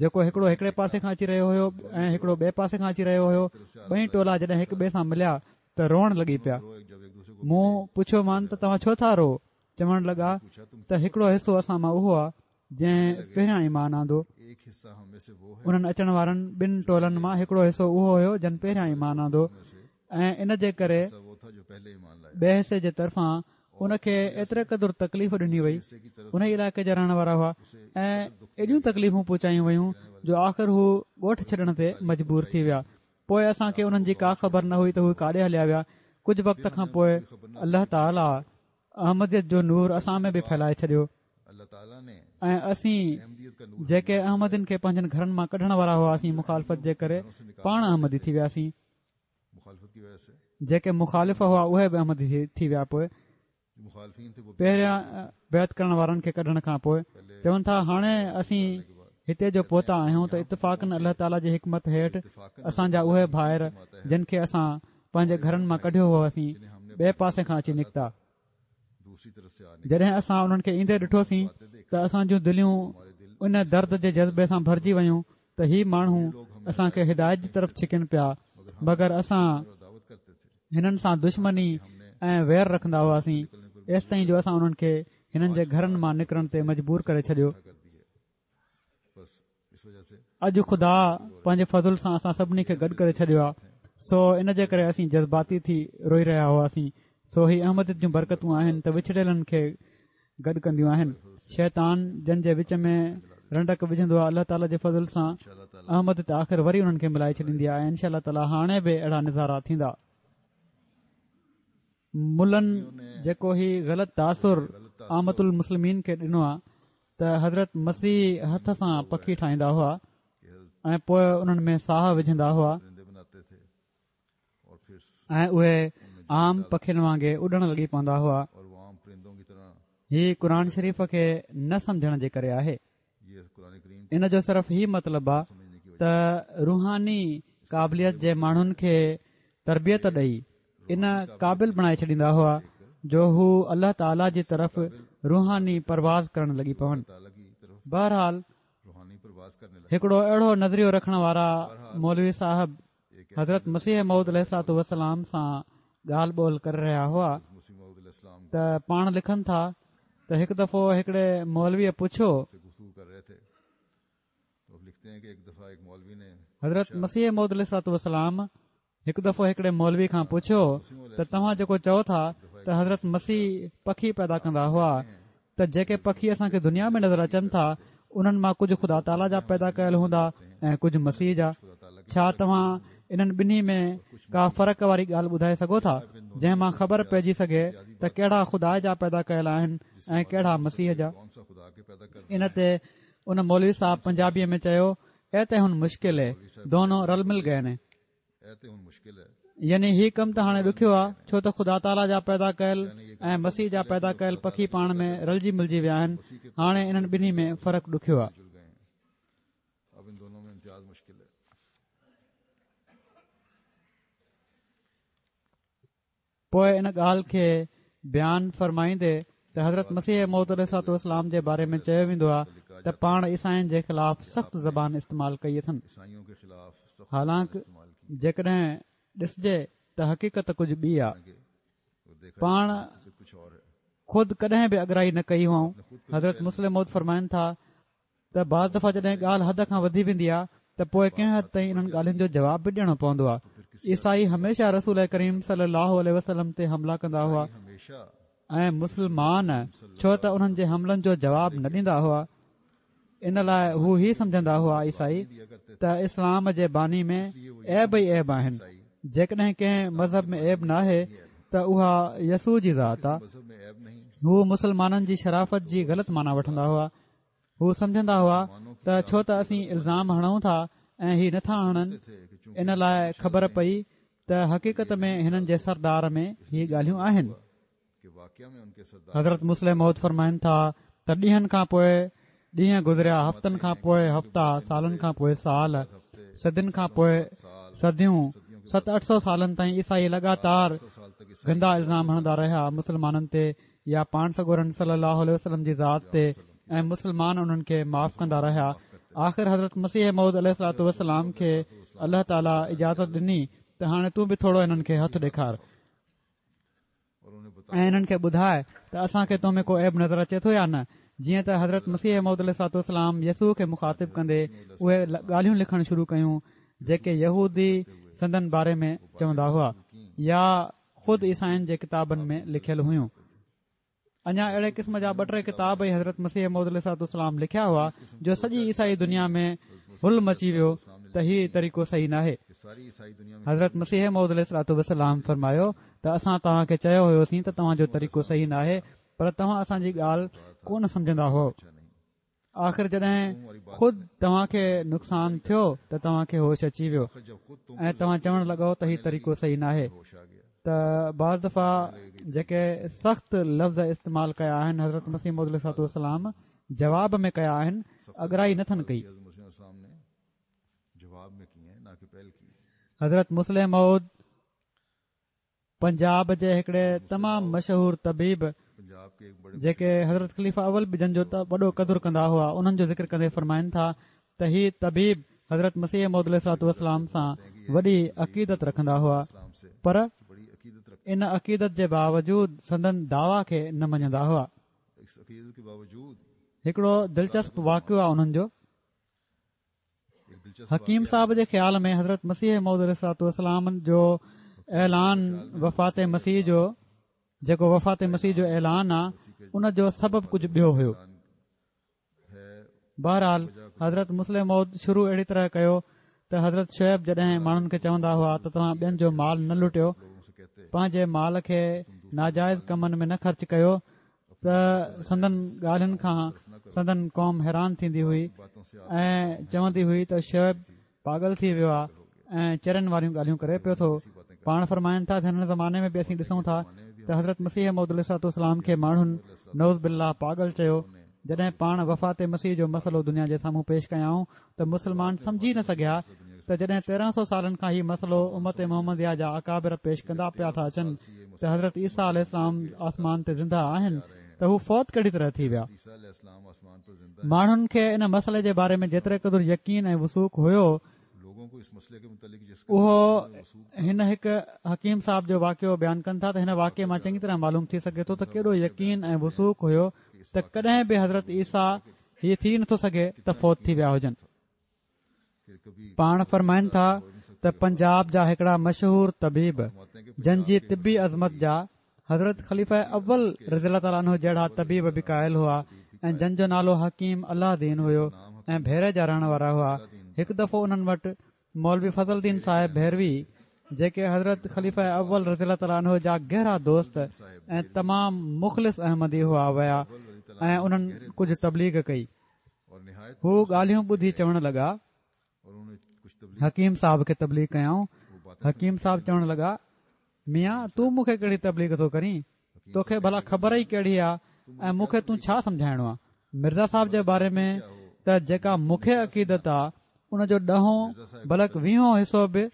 جيڪو هڪڙو هڪڙي پاسي کان اچي رهيو هيو ۽ هڪڙو ٻئي پاسي کان اچي رهيو هيو ٻئي ٽولا جڏهن هڪ ٻئي سان مليا ته روئڻ لڳي پيا مون پڇيو مان ته توهان ڇو ٿا روئو چوڻ لڳا ته هڪڙو حصو اسان مان اهو آهي جنهن پهريان ايمان آندو انهن اچڻ وارن ٻن ٽولن مان هڪڙو حصو اهو هيو جن پهريان ايمان آندو ۽ ان جي ڪري ٻئي حصي جي طرفان ان کي ايتري قدر تڪليف ڏني وئي ان ئي علائقي جا رهڻ وارا هئا ۽ ايڏيون تڪليفون پهچايون ويون جو آخر هو ڳوٺ ڇڏڻ تي مجبور ٿي ويا پوء اسان کي انهن جي ڪا خبر نه هئي ته هو ڪاڏي هليا ويا ڪجهه وقت کان پوء الله تعاليٰ احمديت جو نور اسان ۾ به ڦهلائي ڇڏيو ۽ اسين جيڪي احمدين کي پنهنجن گهرن مان ڪڍڻ وارا هئاسين مخالفت جي ڪري پاڻ احمدي ٿي وياسين جيڪي مخالف هئا اهي به احمدي ٿي ويا پوء پهريان بيعت ڪرڻ وارن کي ڪڍڻ کان پوء چون ٿا هاڻي اسين هتي جو پهتا آهيون ته اتفاقاً الله تعاليٰ جي حڪمت هيٺ اسان جا اهي ڀائر جن کي اسان پنهنجي گهرن مان ڪڍيو هئوسين ٻئي پاسي کان اچي نڪتا جڏهن اسان انهن کي ايندي ڏٺوسين ته اسان جون دليون ان درد جي جذبي سان ڀرجي ويون ته هي ماڻهو اسان کي هدايت جي طرف ڇڪن پيا مگر اسان هنن سان دشمني ۽ وير رکندا هئاسين ايستائين جو اسان انهن کي هنن جي گهرن مان نڪرڻ تي مجبور ڪري ڇڏيو اڄ خدا پنهنجي فضل سان اسان سڀني کي گڏ ڪري ڇڏيو آهي سو ان جي ڪري اسين جذباتي ٿي روئي رهيا هئاسين سو هي احمديت جون برڪتون آهن ته وڇڙيلن کي گڏ ڪنديون آهن شيطان جن جي وچ ۾ رنڊڪ وجهندو آهي الله تعالي جي فضل سان احمديت آخر وري انهن کي ملائي ڇڏيندي آهي انشاء الله تعالي هاڻي به اهڙا نظارا ٿيندا ملن جيڪو هي غلط تاثر عامة المسلمين کي ڏنو آهي ته حضرت مسيح هٿ سان پکي ٺاهيندا هئا ۽ پوء انهن ۾ ساهه وجهندا هئا ۽ اهي عام پکين وانگي اڏڻ لڳي پوندا هئا هي قرآن شريف کي نه سمجهڻ جي ڪري آهي ان جو صرف هي مطلب آ ته روحاني قابليت جي ماڻهن کي تربيت ڏئي ان قابل بڻائي ڇڏيندا هئا جو هو الله تعاليٰ جي طرف روحاني پرواز ڪرڻ لڳي پون بهرحال هڪڙو اهڙو نظريو رکڻ وارا مولوي صاحب حضرت مسيح موعود عليه الصلوة والسلام سان ڳالهه ٻولهه ڪري رهيا هئا ته پاڻ لکن ٿا ته هڪ دفعو هڪڙي مولويء پڇيو حضرت مسيح موعود عليه الصلوة والسلام هڪ دفعو هڪڙي مولوي کان پڇيو ته توهان جيڪو چئو ٿا ته حضرت مسيح پکي پيدا ڪندا هئا ته جيڪي پکي اسان کي دنيا ۾ نظر اچن ٿا انهن مان ڪجهه خدا تعاليٰ جا پيدا ڪيل هوندا ۽ ڪجهه مسيح جا ڇا توهان انهن ٻنهي ۾ ڪا فرق واري ڳالهه ٻڌائي سگهو ٿا جنهن مان خبر پئجي سگهي ته ڪهڙا خدا جا پيدا ڪيل آهن ۽ ڪهڙا مسيح جا؟ ان تي ان مولوي صاحب پنجابيء ۾ چيو اي ته هن مشڪل اي، دونو رل مل گئي ني. يعني هي ڪم ته هاڻي ڏکيو آ ڇو ته خدا تعاليٰ جا پيدا ڪيل ۽ مسيح جا پيدا ڪيل پکي پاڻ ۾ رلجي ملجي ويا آهن هاڻي انهن ٻنهي ۾ فرق ڏکيو آ. پوء ان ڳالهه کي بيان فرمائيندي ته حضرت مسيح موعود عليه الصلوة والسلام جي باري ۾ چيو ويندو آهي ته پاڻ عيسائين جي خلاف سخت زبان استعمال ڪئي اٿن حالانڪ جيڪڏهن ڏسجي ته حقيقت ڪجهه ٻي آهي پاڻ خود ڪڏهن به اڳرائي نه ڪئي هئائون حضرت مصلح موعود فرمائن ٿا ته بعض دفعا جڏهن ڳالهه حد کان وڌي ويندي آهي ته پوء ڪنهن حد تائين انهن ڳالهين جو جواب به ڏيڻو پوندو آهي. عيسائي هميشه رسول ڪريم صلي الله عليه وسلم تي حملا ڪندا هئا ۽ مسلمان ڇو ته انهن جي حملن جو جواب نه ڏيندا هئا ان لاء هو هي سمجهندا هئا عيسائي ته اسلام جي باني ۾ عيب ئي عيب آهن جيڪڏهن ڪنهن مذهب ۾ عيب ناهي ته اها يسوع جي ذات آهي هو مسلمانن جي شرافت جي غلط معنيٰ وٺندا هئا هو سمجهندا هئا ته ڇو ته اسين الزام هڻون ٿا ۽ هي نٿا هڻن ان لاء خبر پئي ته حقيقت ۾ هنن جي سردار ۾ هي ڳالهيون آهن. حضرت مصلح موعود فرمائن ٿا ته ڏينهن کان پوء ڏينهن گذريا هفتن کان پوء هفتا سالن کان پوء سال صدين کان پوء صديون ست اٺ سو سالن تائين عيسائي لڳاتار گندا الزام هڻندا رهيا مسلمانن تي يا پاڻ سڳورن صلي الله عليه وسلم جي ذات تي ۽ مسلمان انهن کي معاف ڪندا رهيا آخر حضرت مسيح موعود عليه الصلوة والسلام کي الله تعاليٰ اجازت ڏني ته هاڻي تون به ٿورو انهن کي هٿ ڏيکار ۽ انهن کي ٻڌاء ته اسان کي تو ۾ ڪو عيب نظر اچي ٿو يا نه جيئن ته حضرت مسيح موعود عليه الصلوة والسلام يسوع کي مخاطب ڪندي اهي ڳالهيون لکڻ شروع ڪيون جيڪي يهودي سندن باري ۾ چوندا هئا يا خود عيسائين جي ڪتابن ۾ لکيل هيون. اڃا اهڙي قسم جا ٻه ٽي ڪتاب ئي حضرت مسيح موعود عليه الصلوة والسلام لکيا هئا جو سڄي عيسائي دنيا ۾ هل مچي ويو ته هي طريقو صحيح ناهي. حضرت مسيح موعود عليه الصلوة والسلام فرمايو ته اسان توهان کي چيو هيوسين ته توهان جو طريقو صحيح ناهي پر توهان اسان جي ڳالهه ڪونه سمجهندا هئو. آخر جڏهن خود توهان کي نقصان ٿيو ته توهان کي هوش اچي ويو ۽ توهان چوڻ لڳو ته هي طريقو صحيح ناهي ته بعض دفعا جيڪي سخت لفظ استعمال ڪيا آهن حضرت مسيح موعود عليه الصلوة والسلام جواب ۾ ڪيا آهن اڳرائي نه ٿن ڪئي حضرت مصلح موعود پنجاب جي هڪڙي تمام مشهور طبيب جيڪي حضرت خليفه اول به جن جو وڏو قدر ڪندا هئا انهن جو ذڪر ڪندي فرمائن ٿا ته هي طبيب حضرت مسيح موعود عليه الصلوة والسلام سان وڏي عقيدت رکندا هئا پر ان عقيدت جي باوجود سندن دعويٰ کي نه مڃندا هئا هڪڙو دلچسپ واقعو آهي انهن جو حڪيم صاحب جي خيال ۾ حضرت مسيح موعود عليه الصلوة والسلام جو اعلان وفات مسيح جو جيڪو وفات مسيح جو اعلان آ ان جو سبب ڪجهه ٻيو هيو بهرحال حضرت مصلح موعود شروع اهڙي طرح ڪيو ته حضرت شعيب جڏهن ماڻهن کي چوندا هئا ته توهان ٻين جو مال نه لٽيو پنهنجي مال کي ناجائز ڪمن ۾ نه خرچ ڪيو ته سندن ڳالهين کان سندن قوم حيران ٿيندي هئي ۽ چوندي هئي ته شعيب پاڳل ٿي ويو آهي ۽ چرين واريون ڳالهيون ڪري پيو ٿو پاڻ فرمائن ٿا ته هن زماني ۾ به اسين ڏسون ٿا ته حضرت مسيح موعود عليه الصلوة والسلام کي ماڻهن نعوذ بالله پاڳل چيو جڏهن پاڻ وفات مسيح جو مسئلو دنيا جي سامهون پيش ڪيائون ته مسلمان سمجهي نه سگهيا ته جڏهن تيرنهن سو سالن کان هي مسئلو امت محمديه جا اڪابر پيش ڪندا پيا ٿا اچن ته حضرت عيسيٰ عليه السلام آسمان تي زنده آهن ته هو فوت ڪهڙي طرح ٿي ويا ماڻهن کي ان مسئلي جي باري ۾ جيتري قدر يقين ۽ وثوق هيو اهو هن هڪ حڪيم صاحب جو واقعو بيان ڪن ٿا ته هن واقعي مان چڱي طرح معلوم ٿي سگهي ٿو ته ڪيڏو يقين ۽ وثوق هيو ته ڪڏهن به حضرت عيسيٰ هي ٿي نٿو سگهي ته فوت ٿي ويا هجن. پاڻ فرمائن ٿا ته پنجاب جا هڪڙا مشهور طبيب جن جي طبي عظمت جا حضرت خليفه اول رضي الله تعالٰي عنه جهڙا طبيب به قائل هئا ۽ جن جو نالو حڪيم الله دين هيو ۽ ڀيري جا رهڻ وارا هئا هڪ دفعو انهن وٽ مولوي فضل دين صاحب ڀيروي جيڪي حضرت خليفه اول رضي الله تعالٰي عنه جا گهرا دوست ۽ تمام مخلص احمدي هئا ويا ۽ انهن ڪجهه تبليغ ڪئي. هو ڳالهيون ٻڌي چوڻ لڳا. حڪيم صاحب کي تبليغ ڪيائون. حڪيم صاحب چوڻ لڳا، ميان تون مون کي ڪهڙي تبليغ ٿو ڪرين؟ توکي ڀلا خبر ئي ڪهڙي آ ۽ مون کي تون ڇا سمجهائڻو آ؟ مرزا صاحب جي باري ۾ ته جيڪا مون کي عقيدت آ ان جو ڏهون بلڪ ويهون حصو به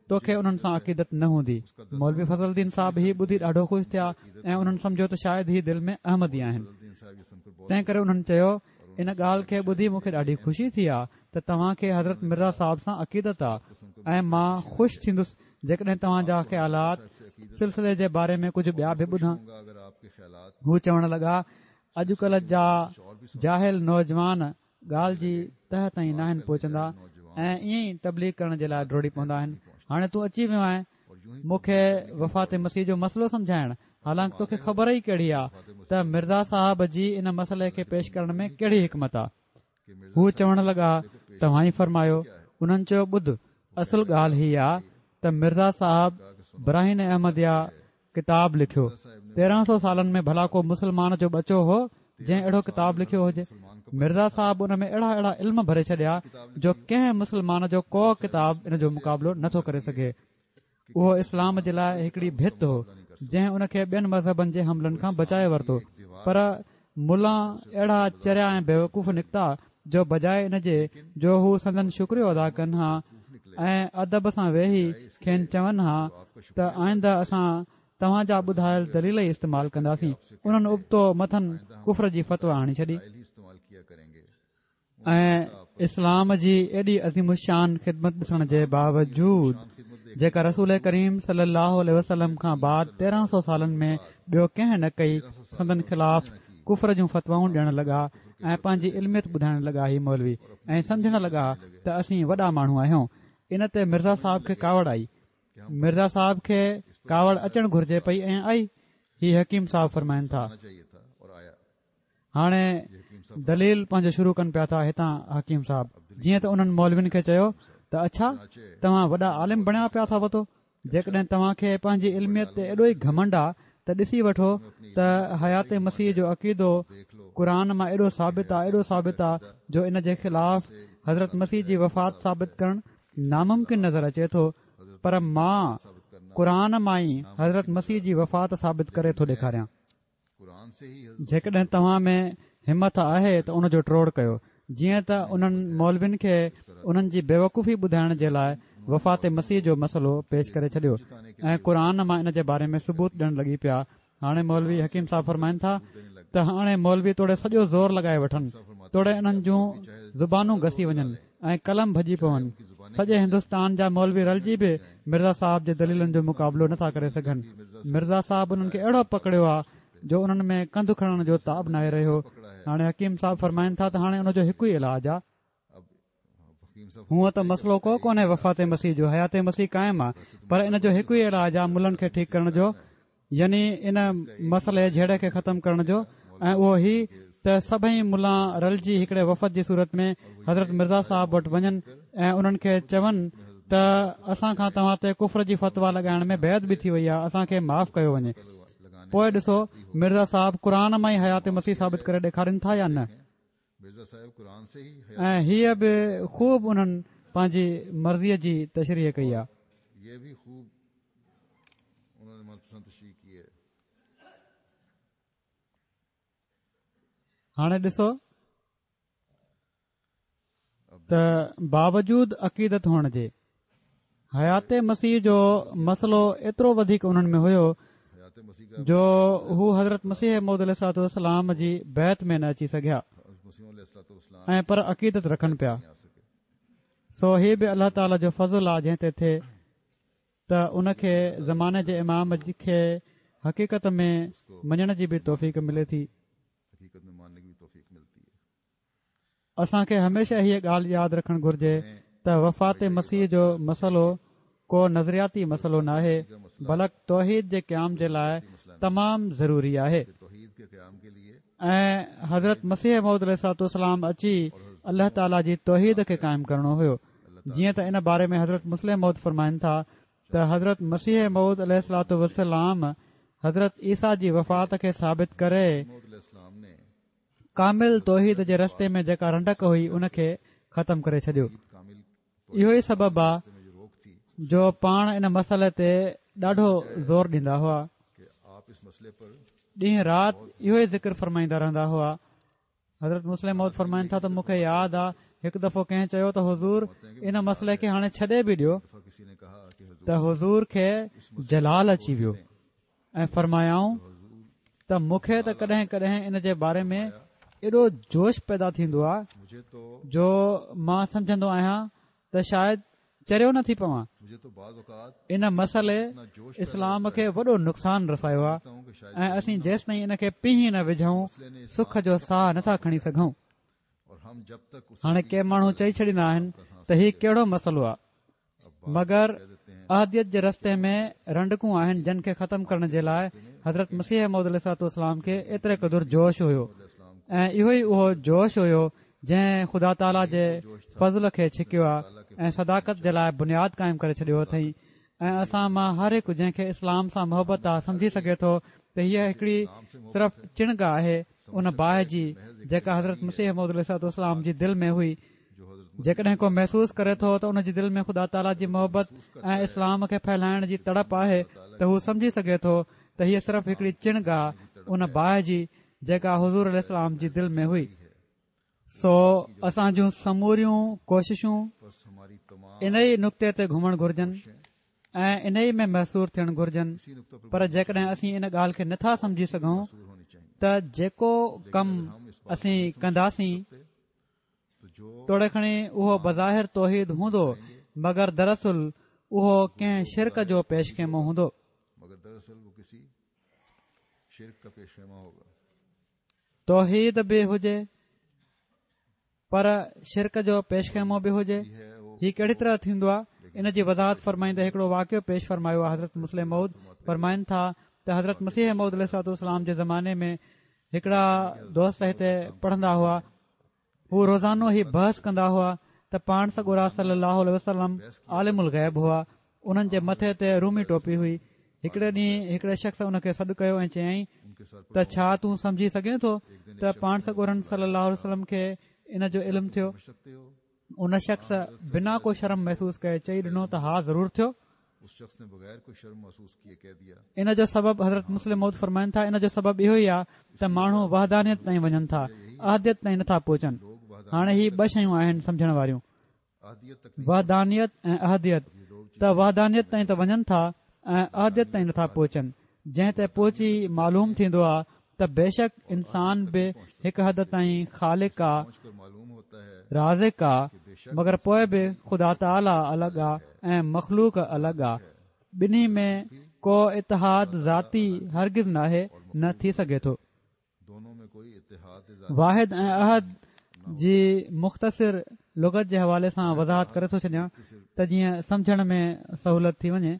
توکي انهن سان عقيدت نه هوندي. مولوي فضل الدين صاحب هي ٻڌي ڏاڍو خوش ٿيا ۽ انهن سمجهيو ته شايد هي دل ۾ احمدي آهن. تنهن ڪري انهن چيو، ان ڳالهه کي ٻڌي مون کي ڏاڍي خوشي ٿي آ ته توهان کي حضرت مرزا صاحب سان عقيدت آ ۽ مان خوش ٿيندس جيڪڏهن توهان جا خيالات سلسلي جي باري ۾ ڪجهه ٻيا به ٻڌان. هو چوڻ لڳا، اڄڪلهه جا جاهل نوجوان ڳالهه جي تهه تائين ناهن پهچندا ۽ ائين ئي تبليغ ڪرڻ جي لاء ڊوڙي پوندا آهن. هاڻي تون اچي ويو آهين مون کي وفات مسيح جو مسئلو سمجهائڻ، حالانڪ توکي خبر ئي ڪهڙي آ ته مرزا صاحب جي ان مسئلي کي پيش ڪرڻ ۾ ڪهڙي حڪمت آ. هو چوڻ لڳا، توهان ئي فرمايو. انهن چيو، ٻڌ، اصل ڳالهه هي آ ته مرزا صاحب براهين احمديه ڪتاب لکيو. 1300 سالن ۾ ڀلا ڪو مسلمان جو ٻچو هو جنهن اهڙو ڪتاب لکيو هجي؟ مرزا صاحب ان ۾ اهڙا اهڙا علم ڀري ڇڏيا جو ڪنهن مسلمان جو ڪو ڪتاب ان جو مقابلو نٿو ڪري سگهي. اهو اسلام جي لاء هڪڙي ڀت هو جنهن ان کي ٻين مذهبن جي حملن کان بچائي ورتو پر ملان اهڙا چريا ۽ بيوقوف نڪتا جو بجاء ان جي جو هو سندن شڪريو ادا ڪن ها ۽ ادب سان ويهي کين چون ها ته آئنده اسان توهان جا ٻڌايل دليل ئي استعمال ڪنداسين انهن ابتو مٿن ڪفر جي فتويٰ هڻي ڇڏي. ۽ اسلام جي ايڏي عظيم الشان خدمت ڏسڻ جي باوجود جيڪا رسول ڪريم صلي الله عليه وسلم کان بعد 1300 سالن ۾ ٻيو ڪنهن نه ڪئي سندن خلاف ڪفر جون فتوائون ڏيڻ لڳا ۽ پنهنجي علميت ٻڌائڻ لڳا هي مولوي ۽ سمجهڻ لڳا ته اسين وڏا ماڻهو آهيون ان تي مرزا صاحب کي ڪاوڙ آئي مرزا صاحب کي ڪاوڙ اچڻ گهرجي پئي ۽ آئي هي حڪيم صاحب فرمائن ٿا هاڻي دليل پنهنجو شروع ڪن پيا ٿا هتان حڪيم صاحب جيئن ته انهن مولوين کي چيو ته اڇا توهان وڏا عالم بڻيا پيا ٿا وتو جيڪڏهن توهان کي پنهنجي علميت تي ايڏو ئي گهمنڊ آ ته ڏسي وٺو ته حيات مسيح جو عقيدو قرآن مان ايڏو ثابت آ ايڏو ثابت آ جو ان جي خلاف حضرت مسيح جي وفات ثابت ڪرڻ ناممڪن نظر اچي ٿو پر مان قرآن مان ئي حضرت مسيح جي وفات ثابت ڪري ٿو ڏيکاريان جيڪڏهن توهان ۾ همت آهي ته ان جو ٽوڙ ڪيو جيئن ته انهن مولوين کي انهن جي بيوقوفي ٻڌائڻ جي لاء وفات مسيح جو مسئلو پيش ڪري ڇڏيو ۽ قرآن مان ان جي باري ۾ ثبوت ڏيڻ لڳي پيا هاڻي مولوي حڪيم صاحب فرمائن ٿا ته هاڻي مولوي توڙي سڄو زور لڳائي وٺن توڙي انهن جون زبانون گسي وڃن ۽ قلم ڀڄي پون. سڄي هندستان جا مولوي رلجي به مرزا صاحب جي دليلن جو مقابلو نٿا ڪري سگهن. مرزا صاحب انهن کي اهڙو پڪڙيو آ جو انهن ۾ ڪنڌ کڻڻ جو تاب ناهي رهيو. هاڻي حڪيم صاحب فرمائن ٿا ته هاڻي ان جو هڪ ئي علاج آ. هونء ته مسئلو ڪو ڪونهي وفات مسيح جو، حيات مسيح قائم آ، پر ان جو هڪ ئي علاج آ ملن کي ٺيڪ ڪرڻ جو، يعني ان مسئلي جهيڙي کي ختم ڪرڻ جو ۽ اهو هي ته سڀئي ملان رلجي هڪڙي وفد جي صورت ۾ حضرت مرزا صاحب وٽ وڃن ۽ انهن کي چون ته اسان کان توهان تي ڪفر جي فتويٰ لڳائڻ ۾ بي ادبي ٿي وئي آهي اسان کي معاف ڪيو وڃي پوء ڏسو مرزا صاحب قرآن مان ئي حيات مسيح ثابت ڪري ڏيکارين ٿا يا نه ۽ هيء به خوب انهن پنهنجي مرضيء جي تشريح ڪئي آهي. هاڻي ڏسو ته باوجود عقيدت هئڻ جي حيات مسيح جو مسئلو ايترو وڌيڪ انهن ۾ هيو جو هو حضرت مسيح موعود عليه الصلوة والسلام جي بيعت ۾ نه اچي سگهيا ۽ پر عقيدت رکن پيا سو هي به الله تعاليٰ جو فضل آ جنهن تي ٿئي ته ان کي زماني جي امام کي حقيقت ۾ مڃڻ جي به توفيق ملي ٿي. اسان کي هميشه هيء ڳالهه ياد رکڻ گهرجي ته وفات مسيح جو مسئلو ڪو نظرياتي مسئلو ناهي بلڪ توحيد جي قيام جي لاء تمام ضروري آهي ۽ حضرت مسيح موعود عليه الصلوة والسلام اچي الله تعاليٰ جي توحيد کي قائم ڪرڻو هيو. جيئن ته ان باري ۾ حضرت مصلح موعود فرمائن ٿا ته حضرت مسيح موعود عليه الصلوة والسلام حضرت عيسيٰ جي وفات کي ثابت ڪري ڪامل توحيد جي رستي ۾ جيڪا رنڊڪ هئي ان کي ختم ڪري ڇڏيو. اهو ئي سبب آ جو پاڻ ان مسئلي تي ڏاڍو زور ڏيندا هئا. ڏينهن رات اهو ئي ذڪر فرمائيندا رهندا هئا. حضرت مصلح موعود فرمائن ٿا ته مون کي ياد آ هڪ دفعو ڪنهن چيو ته حضور ان مسئلي کي هاڻي ڇڏي به ڏيو ته حضور کي جلال اچي ويو ۽ فرمايائون ته مون کي ته ڪڏهن ڪڏهن ان جي باري ۾ ايڏو جوش پيدا ٿيندو آ جو مان سمجهندو آهيان ته شايد چريو نه ٿي پوان. ان مسئلي اسلام کي وڏو نقصان رسايو آهي ۽ اسين جيستائين ان کي پيهي نه وجهون سک جو ساهه نٿا کڻي سگهون. هاڻي ڪي ماڻهو چئي ڇڏيندا آهن ته هي ڪهڙو مسئلو آهي مگر احديت جي رستي ۾ رنڊڪون آهن جن کي ختم ڪرڻ جي لاء حضرت مسيح موعود عليه الصلوة والسلام کي ايتري قدر جوش هيو ۽ اهو ئي اهو جوش هيو جنهن خدا تعاليٰ جي فضل کي ڇڪيو آهي ۽ صداقت جي لاء بنياد قائم ڪري ڇڏيو اٿئي ۽ اسان مان هر هڪ جنهن کي اسلام سان محبت آهي سمجهي سگهي ٿو ته هيء هڪڙي صرف چڻگ آهي ان باهه جي جيڪا حضرت مسيح موعود عليه الصلوة والسلام جي دل ۾ هئي جيڪڏهن ڪو محسوس ڪري ٿو ته ان جي دل ۾ خدا تعاليٰ جي محبت ۽ اسلام کي ڦهلائڻ جي تڙپ آهي ته هو سمجهي سگهي ٿو ته هيء صرف هڪڙي چڻگ آهي ان باهه جي جيڪا حضور عليه السلام جي دل ۾ هئي. سو اسان جون سموريون ڪوششون انهي نقطي تي گهمڻ گهرجن ۽ انهي ۾ محصور ٿيڻ گهرجن پر جيڪڏهن اسين ان ڳالهه کي نٿا سمجهي سگهون ته جيڪو ڪم اسين ڪنداسين توڙي کڻي اهو بظاهر توحيد هوندو مگر دراصل اهو ڪنهن شرڪ جو پيش خيمو هوندو. توحيد به هجي پر شرڪ جو پيش خيمو به هجي هي ڪهڙي طرح ٿيندو آهي ان جي وضاحت فرمائيندي هڪڙو واقعو پيش فرمايو آهي حضرت مصلح موعود فرمائن ٿا ته حضرت مسيح موعود عليه الصلوة والسلام جي زماني ۾ هڪڙا دوست هتي پڙهندا هئا هو روزانو هي بحث ڪندا هئا ته پاڻ سڳورا صلي الله عليه وسلم عالم الغيب هئا انهن جي مٿي تي رومي ٽوپي هئي هڪڙي ڏينهن هڪڙي شخص ان کي سڏ ڪيو ۽ چيائين ته ڇا تون سمجهي سگهين ٿو ته پاڻ سڳورن صلي الله عليه وسلم کي ان جو علم ٿيو ان شخص بنا ڪو شرم محسوس ڪئي چئي ڏنو ته ها ضرور ٿيو ان جو سبب حضرت مصلح موعود فرمائن ٿا ان جو سبب اهو ئي آهي ته ماڻهو وحدانيت تائين وڃن ٿا احديت تائين نٿا پهچن هاڻي هي ٻه شيون آهن سمجهڻ واريون وحدانيت ۽ احديت ته وحدانيت تائين ته وڃن ٿا ۽ احديت تائين نٿا پهچن جنهن تي پهچي معلوم ٿيندو آهي ته بيشڪ انسان به هڪ حد تائين خالق آ رازق آ مگر پوء به خدا تعاليٰ الڳ آ ۽ مخلوق الڳ آ ٻنهي ۾ ڪو اتحاد ذاتي هرگز ناهي نه ٿي سگهي ٿو. واحد ۽ احد جي مختصر لغت جي حوالي سان وضاحت ڪري ٿو ڇڏيان ته جيئن سمجهڻ ۾ سهولت ٿي وڃي.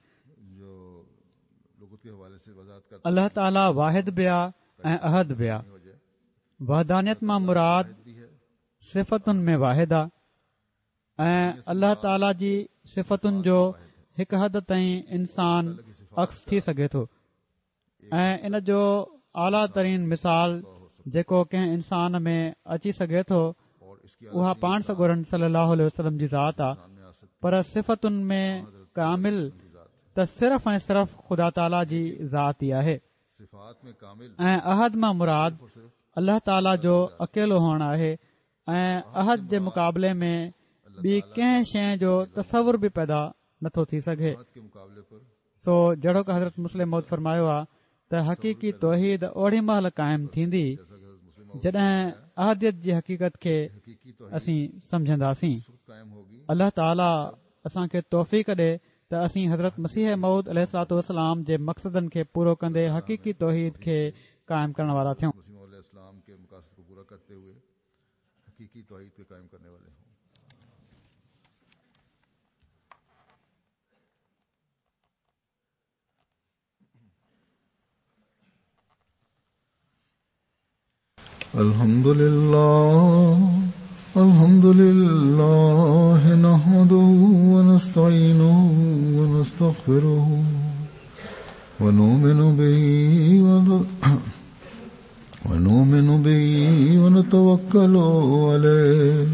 الله تعاليٰ واحد به آ ۽ احد به آ. وحدانيت مان مراد صفتن ۾ واحد آ ۽ الله تعاليٰ جي صفتن جو هڪ حد تائين انسان عڪس ٿي سگهي ٿو ۽ ان جو اعليٰ ترين مثال جيڪو ڪنهن انسان ۾ اچي سگهي ٿو اها پاڻ سڳورن صلي الله عليه وسلم جي ذات آ پر صفتن ۾ ڪامل ته صرف ۽ صرف خدا تعاليٰ جي ذات ئي آهي ۽ احد مان مراد الله تعاليٰ جو اڪيلو هئڻ آهي ۽ احد جي مقابلي ۾ ٻي ڪنهن شيء جو تصور به پيدا نٿو ٿي سگهي سو جهڙوڪ حضرت مصلح موعود فرمايو آ ته حقيقي توحيد اوڏي مهل قائم ٿيندي جڏهن احديت جي حقيقت کي اسين سمجهنداسين الله تعالي اسان کي توفيق ڏي ته اسين حضرت مسيح موعود عليه الصلوة والسلام جي مقصدن کي پورو ڪندي حقيقي توحيد کي قائم ڪرڻ وارا ٿيون. الحمد لله الحمد لله نحمده ونستعينه ونستغفره ونؤمن به ونتوكل عليه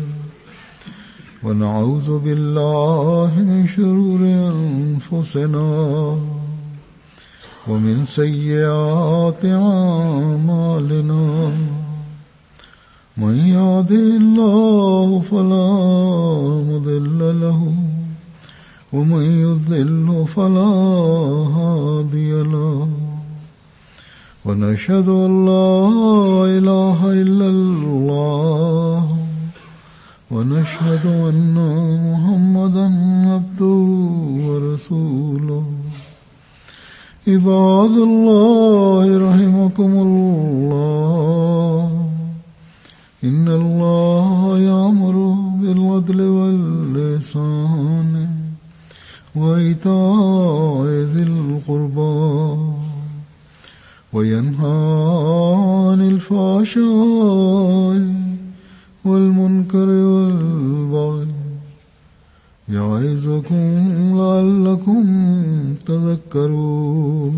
ونعوذ بالله من شرور أنفسنا ومن سيئات أعمالنا من يهده الله فلا مضل له ومن يضلل فلا هادي له ونشهد أن لا إله إلا الله ونشهد أن محمدا عبده ورسوله. عباد الله رحمكم الله، إن الله يأمر بالعدل والإحسان وإيتاء ذي القربى وينهى عن الفحشاء والمنكر والبغي يعظكم لعلكم تذكرون.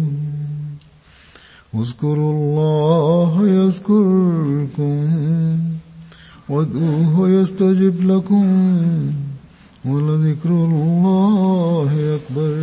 اذكروا الله يذكركم وادعوه يستجب لكم ولذكر الله أكبر.